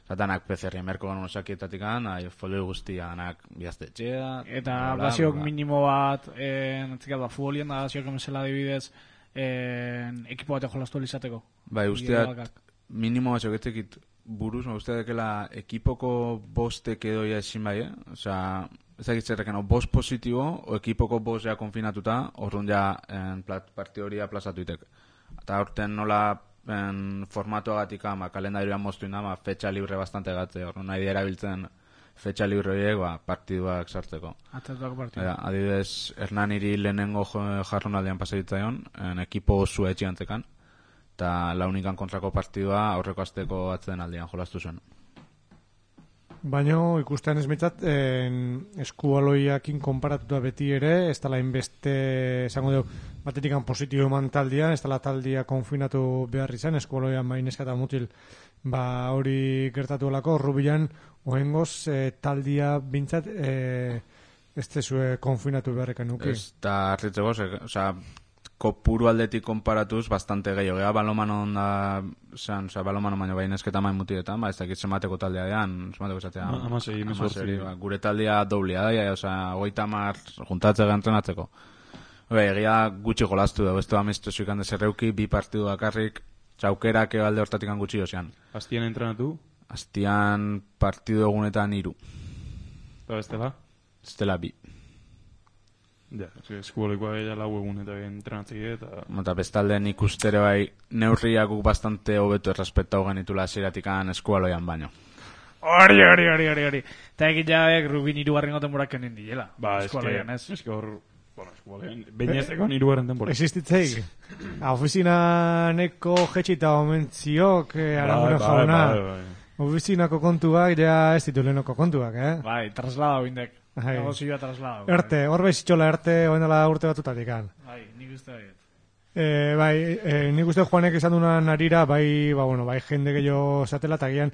Zatanak P C R merko gano osakietatik gana, folio guztia danak bihazte etxea. Eta basiok minimo bat, entzikat, ba, futbolien da basiok emezela dibidez, ekipo bat jolastu alizateko. Bai, usteak, minimo basiok etzekit buruz, ma usteak dekela ekipoko bostek edoia esin bai, eh? Osa, ezakit zerreken, o bost positibo, o ekipoko bost ja konfinatuta, horrun ja partio hori aplazatu itek. Eta horten nola en formatuagatik ama, kalendarioan moztu indama, fetxa libre bastante gatze, hor nahi dira biltzen fetxa libre horiek, ba, partiduak sartzeko. Atzatuak partidu. Adibidez, Hernaniri lehenengo jarronaldean pasaditzaion, en ekipo osu etxiantzekan, eta launikan kontrako partidua aurreko azteko atzen aldean jolastu zuen. Baina ikustean ez mitzat, eskualoiakin konparatuta beti ere, ez dala inbeste, esango dugu, batetikan positibo eman taldia, ez dala taldia konfinatu behar izan, eskualoian mainezka eta mutil, ba hori gertatu olako, Rubilan, ohengoz, e, taldia bintzat, e, ez tezue konfinatu beharrekan nuki. Ez da harritzeko, oza, kopuru aldetik konparatuz bastante gehiago, gea balomano onda, zan, oza, balomano baino bainezketa main mutietan, ba, ez dakit zemateko taldea dean, zemateko esatea. Amasei, mesortzi. Ba, gure taldea doblia da, oza, goita mar juntatzea entrenatzeko. Bai, egia gutxi jolastu da, beste amestu zuikan dezerreuki, bi partidu dakarrik, txaukerak alde hortatik gutxi ozean. Astian entrenatu? Astian partidu egunetan iru. Eta bestela? Estela bi. Ja, eskubolikoa gaila lau egun eta entrenatzei eta... Eta bestaldean ikustere bai, neurriak guk bastante hobetu errespetau genitula ziratikan eskualoian baino. Hori, hori, hori, hori, hori. Eta egin jaek Rubin irugarren gotemborak honen diela. Ba, eskualoian, ez? Ez que hor... Bueno, eskualoian, bainezeko irugarren temporak. Existitzeik. Ofizinaneko jetxita omentziok, aramero jauna. Ofizinako kontuak, ja ez ditu lehenoko kontuak, eh? Bai, traslada bindek. Negozioa traslada. Erte, hor behizitxola erte, oen dela urte batutatik. Bai, nik uste baiet. Eh, bai, eh, nik uste Juanek izan duna narira, bai, ba, bueno, bai, jende gehiago zatela, eta gian,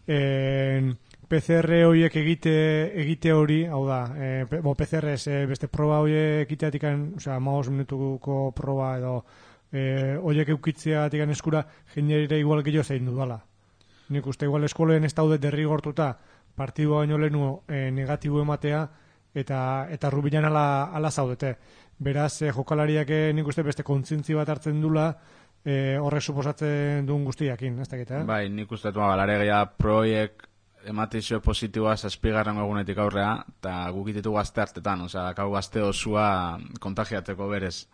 eh, P C R horiek egite, egite hori, hau da, eh, bo, P C R ez, eh, beste proba horiek egiteatik, osea, maos minutuko proba edo, eh, horiek eukitzeatik eskura, jendeire igual gehiago zein dudala. Nik uste igual eskolen ez daude derrigortuta, partidua baino lehenu e, negatibo ematea, eta eta Rubilan ala, ala zaudete. Beraz, eh, jokalariak eh, nik uste beste kontzintzi bat hartzen dula, eh, horrek suposatzen duen guztiakin, ez dakit, eh? Bai, nik uste dut, balaregia proiek ematizio positiboa zazpigarren egunetik aurrea, eta gukititu gazte hartetan, osea, kau gazte osua kontagiatzeko berez.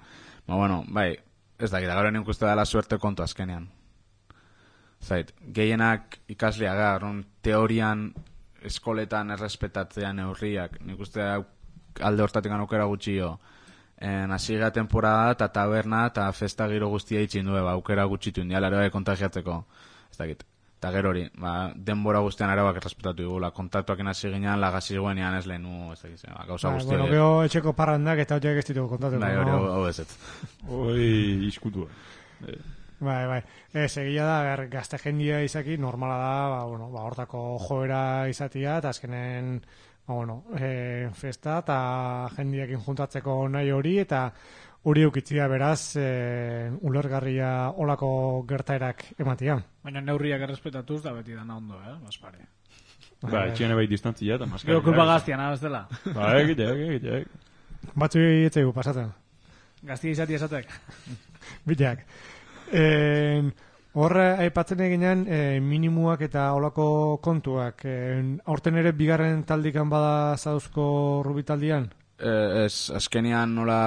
Ba, bueno, bai, ez dakit, gaur nik uste dela suerte kontu azkenean. Zait, gehienak ikasleak gara, teorian eskoletan errespetatzea neurriak, nik uste alde hortatik aukera gutxi jo. En hasiera temporada eta taberna eta festa giro guztia itxin du, ba, aukera gutxitu indiala ere kontagiatzeko. Ez dakit. Eta gero hori, ba, denbora guztian arauak errespetatu digula, kontaktuak hasi ginean, lagasi guenean ez lehenu, ez dakit, ba, gauza guztia. Bueno, geho etxeko parrandak eta horiek ez ditugu kontatu. Bai, hori, hau ez ez. Oi, iskutua. Bai, bai. Ez, egia da, gazte jendia izaki, normala da, ba, bueno, ba, hortako joera izatia, eta azkenen, ba, bueno, e, festa eta jendiakin juntatzeko nahi hori, eta hori eukitzia beraz, e, ulergarria olako gertaerak ematia. Baina neurriak errespetatuz da beti dana ondo, eh? Baspare. Ba, etxean bai distantzia eta maskara. Gero kulpa gaztian, ez dela. Ba, egiteak, egiteak. Batzu etzaigu pasatzen. Gaztia izati esatek. Bideak. En, horre, aipatzen eginean, e, minimuak eta olako kontuak. En, aurten ere bigarren taldikan bada zauzko rubitaldian? E, ez, azkenean nola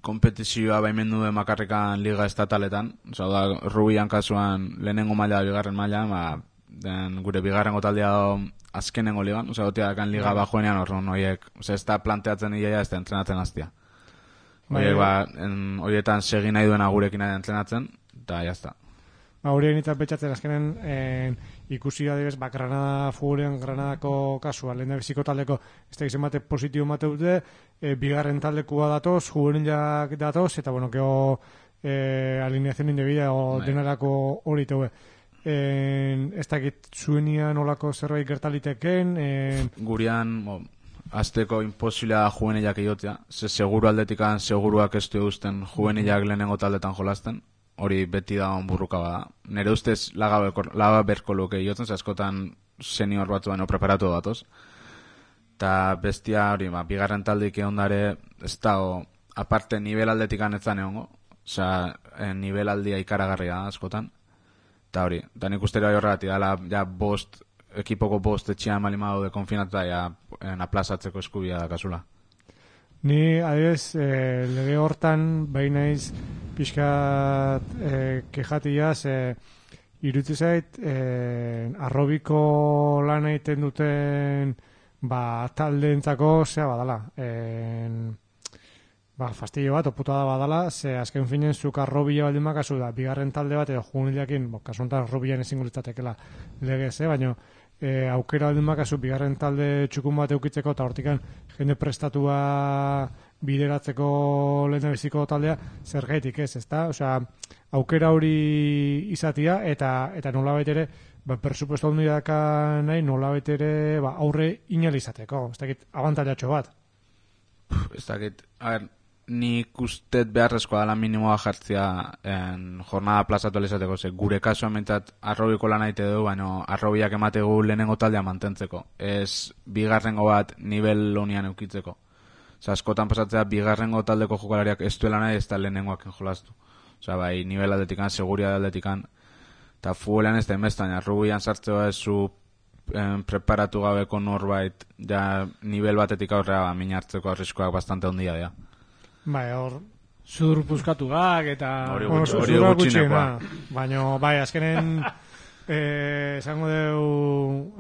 kompetizioa baimendu den makarrekan liga estataletan. Osa, da, rubian kasuan lehenengo maila bigarren maila, ma, den, gure bigarrengo taldea azkenengo ligan. Osa, goteakan liga bajoenean horren horiek. Osa, ez da planteatzen iaia, ez da entrenatzen aztia. Horiek, ba, en, horietan segi nahi duena gurekin nahi entrenatzen, eta jazta. Ba, horien eta betxatzen azkenen en, ikusi adibes, ba, Granada futbolean Granadako kasua, lehen da biziko taldeko, ez da izan bate positibo mate dute, e, bigarren taldekua datoz, juvenilak datoz, eta bueno, geho e, alineazion indebida o Bai. denarako hori teue. Ez dakit zuenian olako zerbait gertaliteken, en, Gurian, bo, azteko imposiblea juvenilak egotea, ze seguru aldetikan seguruak ez du eusten juvenilak lehenengo taldetan jolasten, hori beti da onburruka bada. Nere ustez laga berko, laga berko luke egotzen, ze askotan senior batzu baino preparatu datoz. Eta bestia hori, ba, bigarren taldik eondare, ez da, o, aparte nivel aldetikan ez da neongo, osea, nivel aldia ikaragarria askotan. Eta hori, eta nik uste bai horregatik dala, ja, bost, ekipoko bost etxean malimado de konfinatuta, ja, en aplazatzeko eskubia da kasula. ni adibes eh, lege hortan bai naiz pixkat eh, kejatiaz eh, iruditzen zait eh, arrobiko lan egiten duten ba taldeentzako zea badala en, ba fastidio bat oputa da badala ze azken finen zuk arrobila baldin bakazu da bigarren talde bat edo junilakin bo kasu honetan arrobilan ezingo litzatekeela legez, eh, baino e, aukera baldin bakazu bigarren talde txukun bat eukitzeko eta hortikan jende prestatua bideratzeko lehendabiziko taldea zergaitik ez, ezta? Osea, aukera hori izatia eta eta nolabait ere ba presupuesto handi daka nahi nolabait ere ba aurre inalizateko, ez dakit abantailatxo bat. Ez dakit, a ber, nik ustet beharrezkoa dela minimoa jartzea en jornada plazatu alizateko, ze gure kasuan mentzat arrobiko lan aite du, baina arrobiak emategu lehenengo taldea mantentzeko, ez bigarrengo bat nivel honian eukitzeko. Osa, askotan pasatzea bigarrengo taldeko jokalariak ez duela nahi ez da lehenengoak enjolastu. Osa, bai, nivel aldetikan, seguria aldetikan, eta futbolean ez da inbestan, arrubian sartzea ez zu en, preparatu gabeko norbait, ja nivel batetik aurrea ba, min hartzeko arriskoak bastante ondia dira. Bai, hor Zur puzkatu gak eta... Hori bueno, gutxi- hori zura gutxinekoa. gutxiena. Baina, bai, azkenen eh, esango deu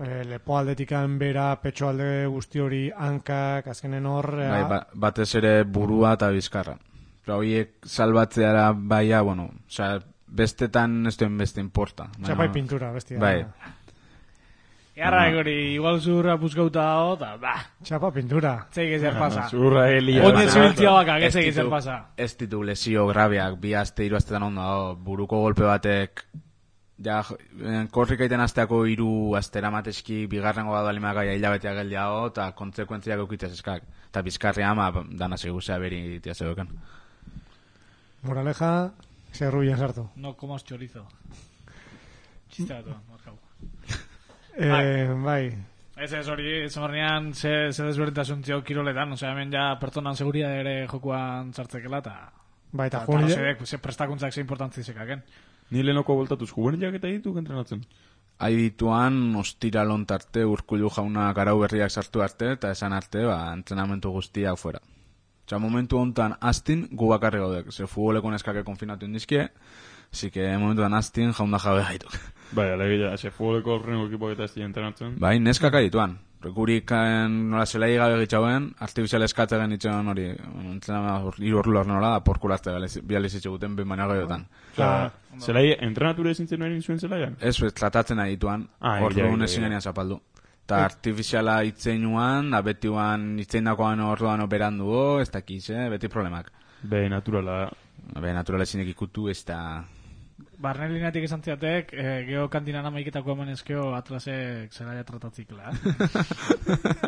eh, lepo aldetikan bera, petxo alde guzti hori hankak, azkenen hor... eh, Bai, ba, batez ere burua eta bizkarra. Pero horiek salbatzeara baia, bueno, osea, bestetan ez duen beste importa. Osea, bai pintura, bestia. Bai. Earra egori, igual zurra puzkauta dago, eta ba, Txapa pintura. txeik ezer pasa. Zurra helia. Onden zubiltzia bakak, Ez ez ezer ditu- pasa. Ez ditu lesio grabeak, bi aste, hiru astetan ondo dago, buruko golpe batek, ja, en, korrika iten asteako hiru astera mateski, bigarrengo bat balimak aia hilabetea geldiago, eta kontsekuentziak eukitzez eskak. Eta bizkarria ama, dana seguzea beri tia zeuken. Moraleja, zerrubian sartu. No comas chorizo. Txiste bat, markau. Eh, bai. Ez ez hori, zemornean ze, ze desberdintasun zio kiroletan, osea, hemen ja pertsonan seguria ere jokuan sartzekela, eta... Ba, eta eta juvenil... arrazoiek, ze prestakuntzak ze importantzi zekaken. Ni lehenoko voltatuz juvenilak eta ditu entrenatzen. Aidituan, ostiralon tarte, Urkullu jaunak arau berriak sartu arte, eta esan arte, ba, entrenamentu guztia fuera. Osa, momentu hontan astin, gu bakarri gaudek. Ze futboleko neskake konfinatu indizkie, así que momentuan astin jaunda jabe gaituk. Bai, alegia, ze futboleko horrengo ekipo eta ez dira entrenatzen. Bai, neskak adituan. Gurik nola zelai gabe gitzauen, artifizial eskatzen itxean hori, entrenamentu hiru orlu nola, porkulazte bializitxe guten behin baina gaiotan. Osea, zelai entrenatura ezin zen egin zuen zelaian? Ez, ez, tratatzen adituan, Ah, hor ja, dugun ja, ezin ja. genian zapaldu. Eta artifiziala itzeinuan, da betiuan itzeindakoan orduan operandu, ez dakiz, eh? Beti problemak. Be, naturala. Be, naturala zinek ikutu, ez da... Barne lineatik esan ziatek, eh, geho kantinan amaiketako eman ezkeo atlasek zelaia tratatzikla.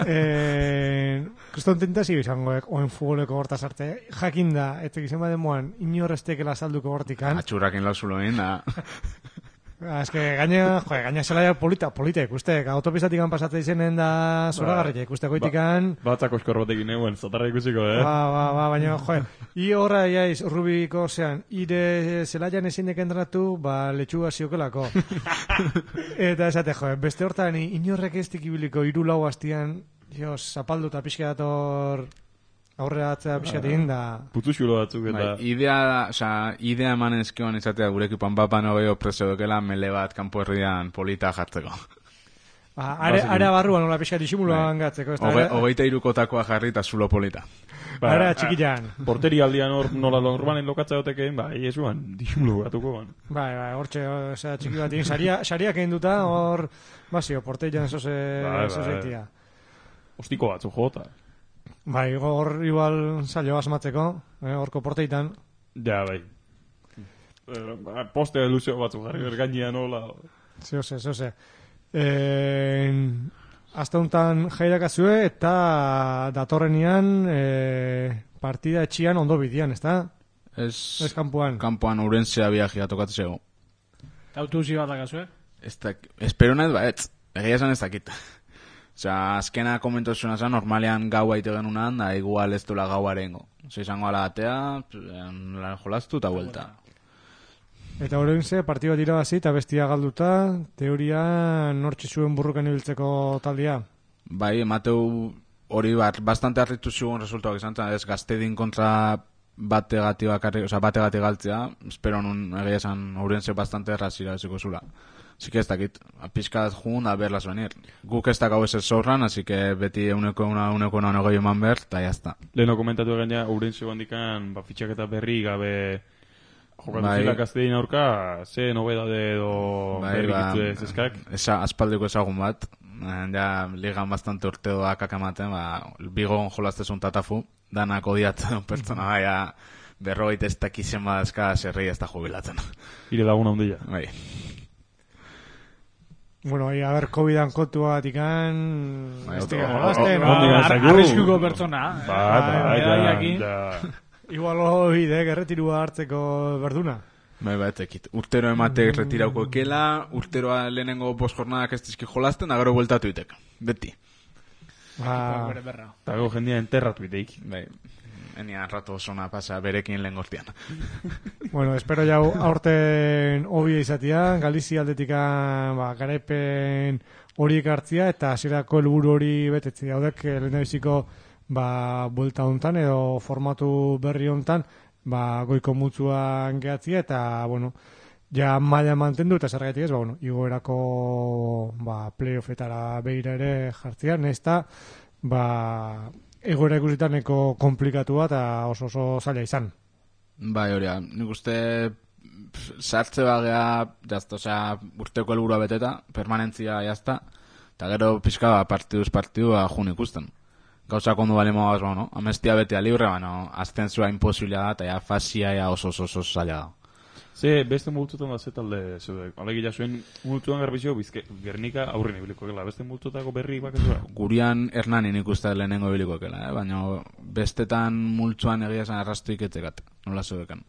eh, Kriston tentazio izangoek, oen futboleko hortaz arte, jakinda, etek izan bademoan, inorrestekela salduko hortikan. Atxurrakin lauzuloen, da... Ez que gaina, joe, gaina zelaia polita, polita ikustek, autopistatik pasatzen izenen da zoragarria ikusteko itikan. Batzak oskor batekin eguen, zatarra ikusiko, eh? Ba, ba, ba, baina, joe, i horra jaiz, Rubiko, zean, ire zelaian ezin entrenatu, ba, letxuga ziokelako. Eta esate, joe, beste hortan, inorrek ez dikibiliko iru lau hastian, jo, zapaldu eta pixka dator aurrera atzea pixka egin da... Putu xulo batzuk eta... Bai, idea, oza, idea eman ezkioan izatea gurekipan bapan hogeo presio dokela mele bat kanpo herrian polita jartzeko. Ba, are, are barruan nola pixka disimuloan gatzeko. Hogeita irukotakoa jarri eta zulo polita. Ba, Ara txikian. Porteri aldian hor nola normalen lokatza gotekeen, ba, iesuan, disimulo batuko ban. Bai, bai, hortxe, osea, txiki bat egin, saria, sariak egin duta, hor, bazio, porteian zoze, Bai, bai. zozeitia. Ostiko batzu jota. Bai, hor igual saio asmatzeko, eh, horko porteitan. Ja, bai. Eh, Poste luzio batzu jarri bergainean hola. Zehose, zehose. Eh, Azta honetan jairakazue eta datorrenian eh, partida etxian ondo bidian, ezta? Ez, Ez kanpoan. kanpoan urentzea biajia tokatzeko. Autuzi bat akazue? Ez da, espero nahi ba, ez, egia esan ez dakit. Osea, azkena komentazioa zen, normalean gaua ite genunan, da igual ez duela gaua erengo. Osea, izango ala atea, la jolastu eta vuelta. Eta horrein ze, partida irabazi eta bestia galduta, teoria nortxe zuen burrukan ibiltzeko taldia. Bai, emateu hori bat, bastante harritu zigun resultuak izan, eta ez gaztedin kontra bategati bakarri, osea, bategati galtzea, espero nun egia esan Ourense bastante errazira eziko zula. Así que ez dakit, pizkat jun a verlas venir. Guk ez dakau ez ez zorran, así que beti euneko una euneko una negoi eman ber, eta jazta. Leheno komentatu gaina Ourense bandikan, ba, fitxaketa berri gabe jokatu Bai. zila Gaztein aurka, ze nobedade edo berri gitu ez eskak. Esa, aspaldiko ezagun bat, eh, ja ligan bastante urteoak akamaten, ba, bigon jolaztezun tatafu, danak odiatzen pertsona baia berrogeita ez dakizen badazka zerrei ez da jubilatzen. Ire laguna ondila. Bai. Bueno, ahí, a ver, COVID-an kontu bat ikan... Bai, Ez otro- dira, o- jolasten, o- ba, ondik ar- zaigu. Arriskuko pertsona. Ba, eh? ba, Bai, ja, medaiakin. ja. Igual hori, de, gerretirua hartzeko berduna. Bai, bai, tekit. Urtero ematek retirauko ekela, urteroa lehenengo bost jornadak ez dizki jolasten, da gero bueltatu itek. Beti. Ba, Bere berra. Eta gero jendia enterratu iteik. Bai. Enia rato zona pasa berekin lehen gortian. bueno, espero jau aurten hobia izatea, Galizia aldetikan ba, garaipen horiek hartzia, eta hasierako helburu hori betetzi daudek lehendabiziko ba, buelta hontan edo formatu berri hontan ba, goiko mutzuan gehatzia, eta, bueno, ja maila mantendu, eta zergatik ez, ba, bueno, igoerako ba, playoffetara behira ere jartzia, nesta, ba, egoera ikusitaneko komplikatua eta oso oso zaila izan. Bai, hori, nik uste pf, sartze bagea, jazta, osea, urteko helburua beteta, permanentzia jazta, eta gero pixka ba, partiduz partidua jun ikusten. Gauza kondu bali mogaz, bueno, amestia betea libre, bueno, azten zua imposibila da, eta ja fasia ja oso oso oso zaila da. Ze, beste multzutan da ze talde, zeude, alegia zuen multzuan garbizio, bizke, Gernika aurren ibiliko gela, beste multzutako berri bakazua. Gurian Hernanin ikusta lehenengo ibiliko ekela, eh? Baina bestetan multzuan egia esan arrastu iketzekat, nola zeudekan.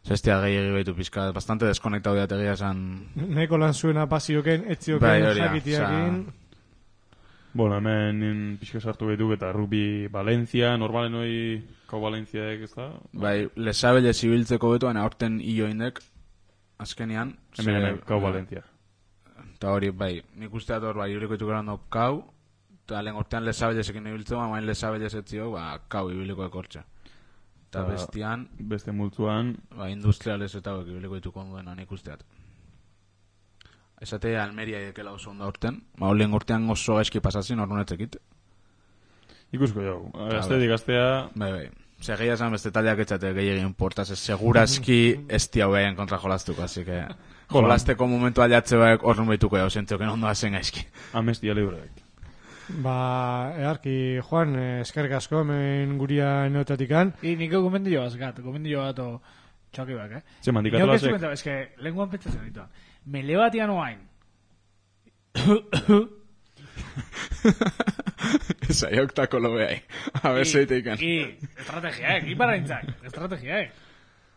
Zestia gehiagi behitu pizka, bastante deskonektau diat egia esan... Neko lan zuena pasioken, etzioken Bai, hori da, jakitiakin... Bueno, hemen pixka sartu behituk eta rugby Valencia, normalen hoi kau Valenciaek, ez da? Bai, lesabele zibiltzeko betu, baina aurten hilo indek, azkenian. Hemen hemen, kau Valencia. Eta hori, bai, nik usteat hor, bai, ibriko itukeran dau kau, eta lehen urtean lesabelesekin ibiltzeko, baina lesabelesetzio, ba, kau ibiliko ekortxe. Eta bestian... Beste multzuan... Ba, industriales eta hori ibiliko ituko onduen, nik usteat. Esate Almeria edekela oso ondo urten, ba, lehen urtean oso gaizki pasazin, hor nunetzekit. Ikusko jau, gaztetik gaztea... Bai, bai. Ose, gehi esan beste taldeak etxate gehi egin portaz, seguraski ez diau behaien kontra jolaztuko, así que... Jolazteko momentu aliatze baek hor numeituko jau, zentzioken ondo hazen gaizki. Amestia libreak. Ba, earki, Juan, eskerrik asko, hemen guria neotatikan. I niko gomendio azgat, gomendio bat o txoki bak, eh? Ze mandikatu lasek. Nio ez que, lenguan pentsatzen ditu. Mele batian oain. Esa, joktako lo behai. A ver, zeiteikan. I, estrategiaek, iparraintzak, estrategiaek.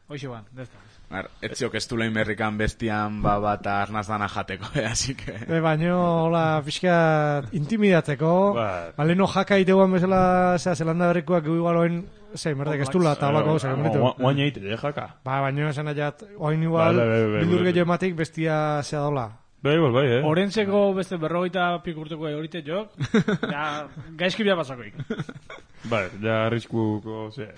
Hoxe ban, dezta. Ar, etziok ez dulein berrikan bestian baba eta arnaz dana jateko, eh, así que... E, baino, hola, pixka intimidatzeko, Ba. baleno jaka iteguan bezala, zera, zelanda berrikoak igualoen, zei, merdek, ez dula, tabako, zer, meritu. Oain eite, de jaka. Ba, baino, esan aiat, oain igual, Bai, bai, bai, bai, bildur bai. gehiago ematik bestia zea dola. Bai, bai, bai, eh? Orentzeko beste berrogeita pikurteko horite jok, ja, gaizki bia pasakoik. Bai, ja arriskuko, ze...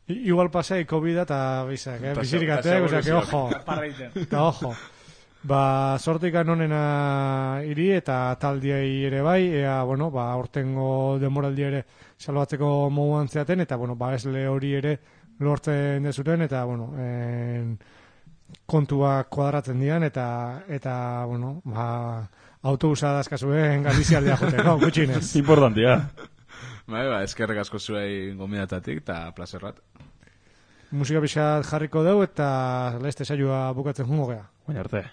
I, igual pasei COVID eta bizak, eh? Ta Bizirik se- atek, ta osea, que ojo. Parreiten. Eta ojo. Ba, sortikan onena iri eta taldiei ere bai, ea, bueno, ba, ortengo demoraldi ere salbatzeko moduan zeaten, eta, bueno, ba, esle hori ere lortzen dezuten, eta, bueno, en, kontuak kuadratzen dian, eta, eta, bueno, ba, autobusa dazkazuen Galizialdea joteko, gutxinez. Importantia. Bai, ba, eskerrek asko zuei gomidatatik, eta plazerrat. Musika pixat jarriko dugu, eta leste saioa bukatzen jungo gea. Baina arte.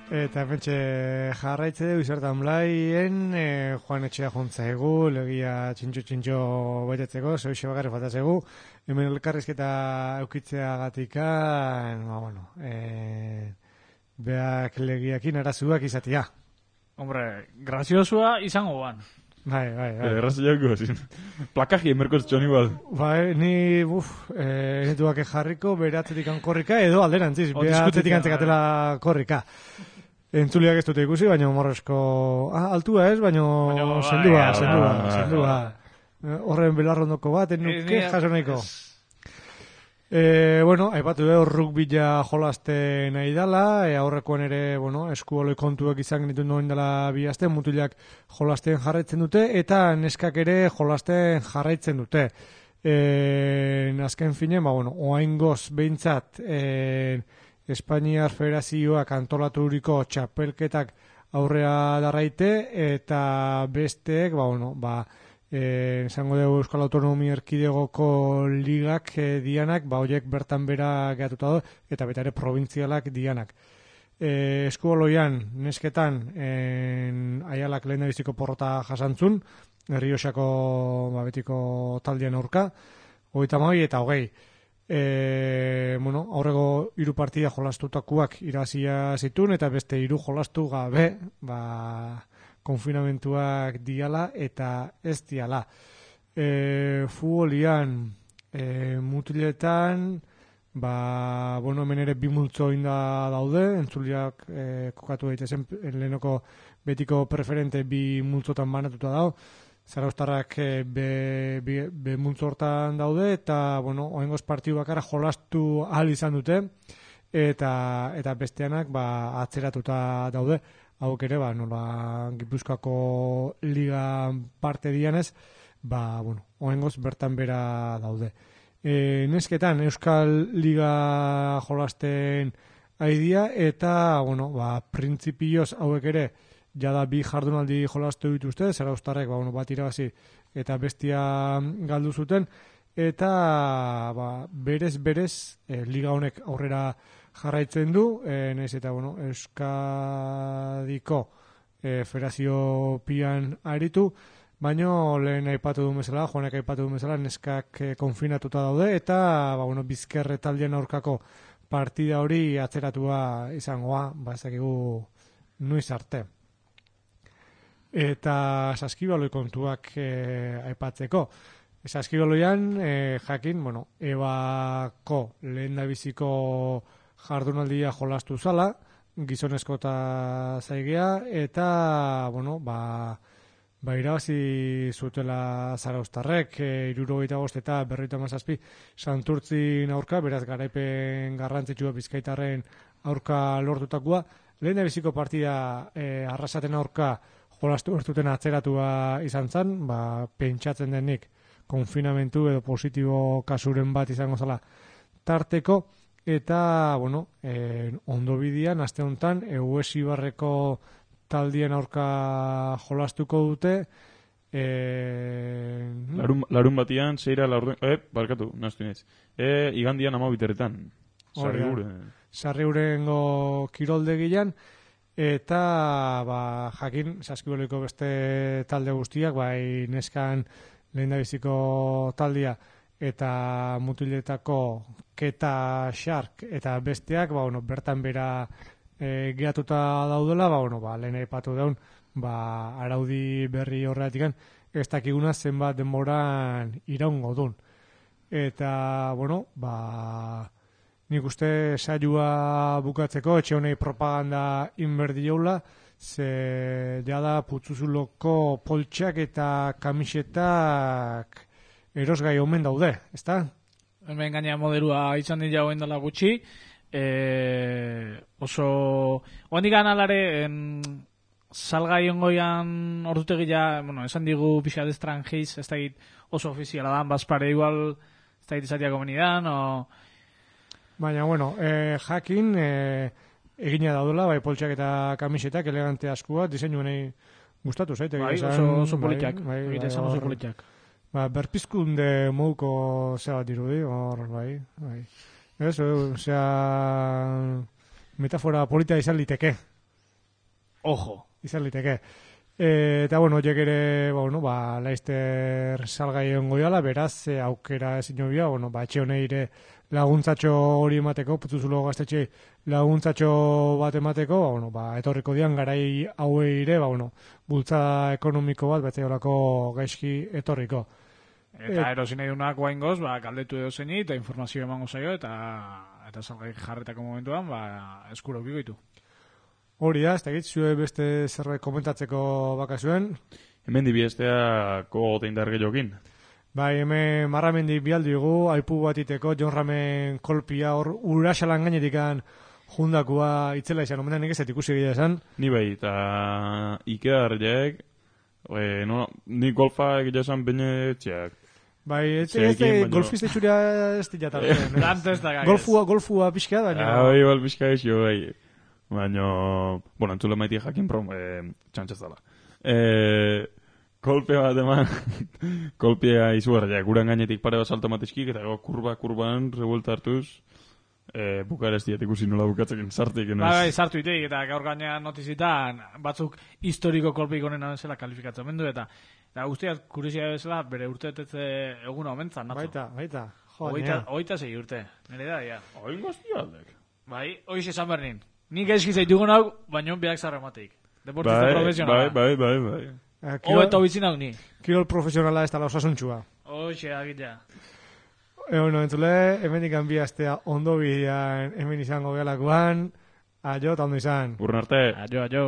Eta pentsa jarraitze dugu izartan blaien, e, Juan Etxea jontza egu, legia txintxo-txintxo betetzeko, zoixe bakarri faltatzegu, hemen elkarrizketa eukitzea gatika, ba, bueno, e, beak legiakin arazuak izatia. Hombre, graziosua izango ban. Bai, bai, bai. Erraz jako, zin. Plakaji emerko txon igual. Bai, ni, buf, e, netuak jarriko, bere atzetik korrika, edo alderantziz, O, bere diskutitzea, atzetik antzekatela korrika. Entzuliak ez dute ikusi, baina morrezko... Ah, altua ez, baina Baina, zendua, bai, zendua, bai, zendua. Eh, Horren belarrondoko bat, enuke Eh, jaso nahiko. ez. E, bueno, aipatu dugu rugbila jolaste nahi dala, e, aurrekoan ere, bueno, eskuoloi kontuak izan genitu noen dela bi aste, mutilak jolasten jarraitzen dute, eta neskak ere jolasten jarraitzen dute. E, azken finen, ba, bueno, oaingoz behintzat, e, Espainiar Federazioak antolaturiko txapelketak aurrea darraite, eta besteek, ba, bueno, ba, Eh, esango dugu Euskal Autonomia Erkidegoko ligak eh, dianak, ba horiek bertan bera gehatuta do, eta beta ere provintzialak dianak. Eh, eskuoloian, nesketan, en, aialak lehen biziko porrota jasantzun, Errioxako ba, betiko taldean aurka, hogeita hamabi eta hogei. E, bueno, aurrego hiru partida jolastutakoak irazia zituen, eta beste hiru jolastu gabe, ba... konfinamentuak diala eta ez diala. E, futbolian, e, mutiletan, ba, bueno, hemen ere bi multzo inda daude, entzuliak e, kokatu daitezen lehenoko betiko preferente bi multzotan banatuta dau, Zarauztarrak e, be, be, be multzo hortan daude, eta, bueno, oengoz partiu bakara jolastu ahal izan dute, eta, eta besteanak, ba, atzeratuta daude, hauk ere, ba, nola Gipuzkoako liga parte dianez, ba, bueno, oengoz bertan bera daude. E, nesketan, Euskal Liga jolasten aidia, eta, bueno, ba, printzipioz hauek ere, jada bi jardunaldi jolastu dituzte, Zarauztarrek, ba, bueno, bat irabazi eta bestia galdu zuten, eta, ba, berez-berez, e, liga honek aurrera jarraitzen du, e, nahiz eta, bueno, Euskadiko e, Federazio pian aritu, baino lehen aipatu du bezala, Joanek aipatu du bezala, neskak e, konfinatuta daude, eta, ba, bueno, Bizkerre taldean aurkako partida hori atzeratua izangoa, ba, ezakigu nuiz arte. Eta saskibaloi kontuak e, aipatzeko. Saskibaloian, e, jakin, bueno, Ebako lehen da biziko jardunaldia jolastu zala, gizonezko eta zaigea, eta, bueno, ba, ba irabazi zutela Zarauztarrek, e, hirurogeita bost eta berrogeita hamazazpi Santurtzin aurka, beraz garaipen garrantzitsua Bizkaitarren aurka lortutakoa. Lehen da biziko partida e, arrasaten aurka jolastu bertuten atzeratua izan zen, ba, pentsatzen denik konfinamentu edo positibo kasuren bat izango zala tarteko, eta, bueno, eh, ondo bidian, aste honetan, Euesi Barreko taldien aurka jolastuko dute, eh, larun, larun batian, zeira laurden, eh, barkatu, naztu nez, eh, igandian ama biteretan, Sarriuren. Sarriurengo kiroldegian, eta, ba, jakin, saskiboloiko beste talde guztiak, bai, neskan lehendabiziko taldia, eta mutiletako Keta Shark eta besteak, ba, bueno, bertan bera e, gehatuta daudela, ba, bueno, ba, lehen aipatu daun, ba, araudi berri horretikan, ez dakiguna zenbat denboran iraungo dun. Eta, bueno, ba, nik uste saioa bukatzeko, etxe honei propaganda inberdi jaula, ze jada putzuzuloko poltsak eta kamisetak erosgai omen daude, ezta? Hemen gaina modelua izan dira hoen dela gutxi, e, oso hondik analare salgai ongoian ordutegia, bueno, esan digu pixa de estrangiz, ez da oso ofiziala da, bazpare igual ez da izatea komenidan, o... Baina, bueno, eh, jakin eh, egina daudela, bai poltsak eta kamisetak elegante askua, diseinu nahi gustatu zaite. Bai, esan, oso, oso politiak, bai, bai, egite esan bai, oso hor, politiak. Ba, berpizkunde mouko zera dirudi, hor, bai, bai. Ez, osea, metafora polita izan liteke. Ojo. Izan liteke. E, eta, bueno, horiek ere, ba, bueno, ba, Laizter salgai ongo jala, beraz, e, aukera ezin jobia, bueno, ba, etxe honeire laguntzatxo hori emateko, putzuzulo gaztetxe laguntzatxo bat emateko, ba, bueno, ba, etorriko dian garai hauei ire, ba, bueno, bultza ekonomiko bat, bete horako gaizki etorriko. Eta Et... erosin nahi dunak guaingoz, ba, galdetu edo zeini, eta informazio emango zaio, eta eta salgai jarretako momentuan, ba, eskurokiko ditu. Hori da, ez da zue beste zerbait komentatzeko bakazuen. Hemen dibiestea kogote indar gehiokin. Bai, hemen marramendi bialdi dugu, aipu bat iteko, Jon Ramen kolpia hor urasalan gainetikan jundakua itzela izan, omenan nik ez ikusi egia esan. Ni bai, eta ikedarriek, e, no, ni golfa egia esan bine etxeak. Bai, ez Zeekin, baino- golfista itxuria ez dira tartean. Tanto ez da gagez. Golfua, golfua pixka da, baina... Ah, bai, bal pixka esio, bai. Baina, bueno, entzule maiti jakin prom, e, txantxez dala. E, kolpe bat eman, kolpea izugarriak, guran gainetik pare bat salto matizkik, eta go, kurba, kurban, revuelta hartuz, e, bukarestiat ikusi nola bukatzekin sartik. Bai, bai, sartu iteik, eta gaur gainean notizitan batzuk historiko kolpeik onena zela kalifikatzen mendu, eta eta guztiak kuriosia bezala bere urtetetze eguna omentzan, natzo. Baita, baita. Jo, Hogeita, nea. hogeita zei urte, nire da, ja. Oin gaztialdek. Bai, hoiz esan bernin. Nik eski zaitugun hau, baino biak zarrematik. Deportista Bai, profesionala. bai, bai, bai, bai. Eh, Ho Kirol, eta hoitzin hau ni. kirol profesionala ez dala osasuntxua. Hoxe, agitza. E, bueno, entzule, hemen ikan bi astea ondo bidean hemen izango gelakoan. Aio, eta ondo izan. Urren arte. Aio, aio.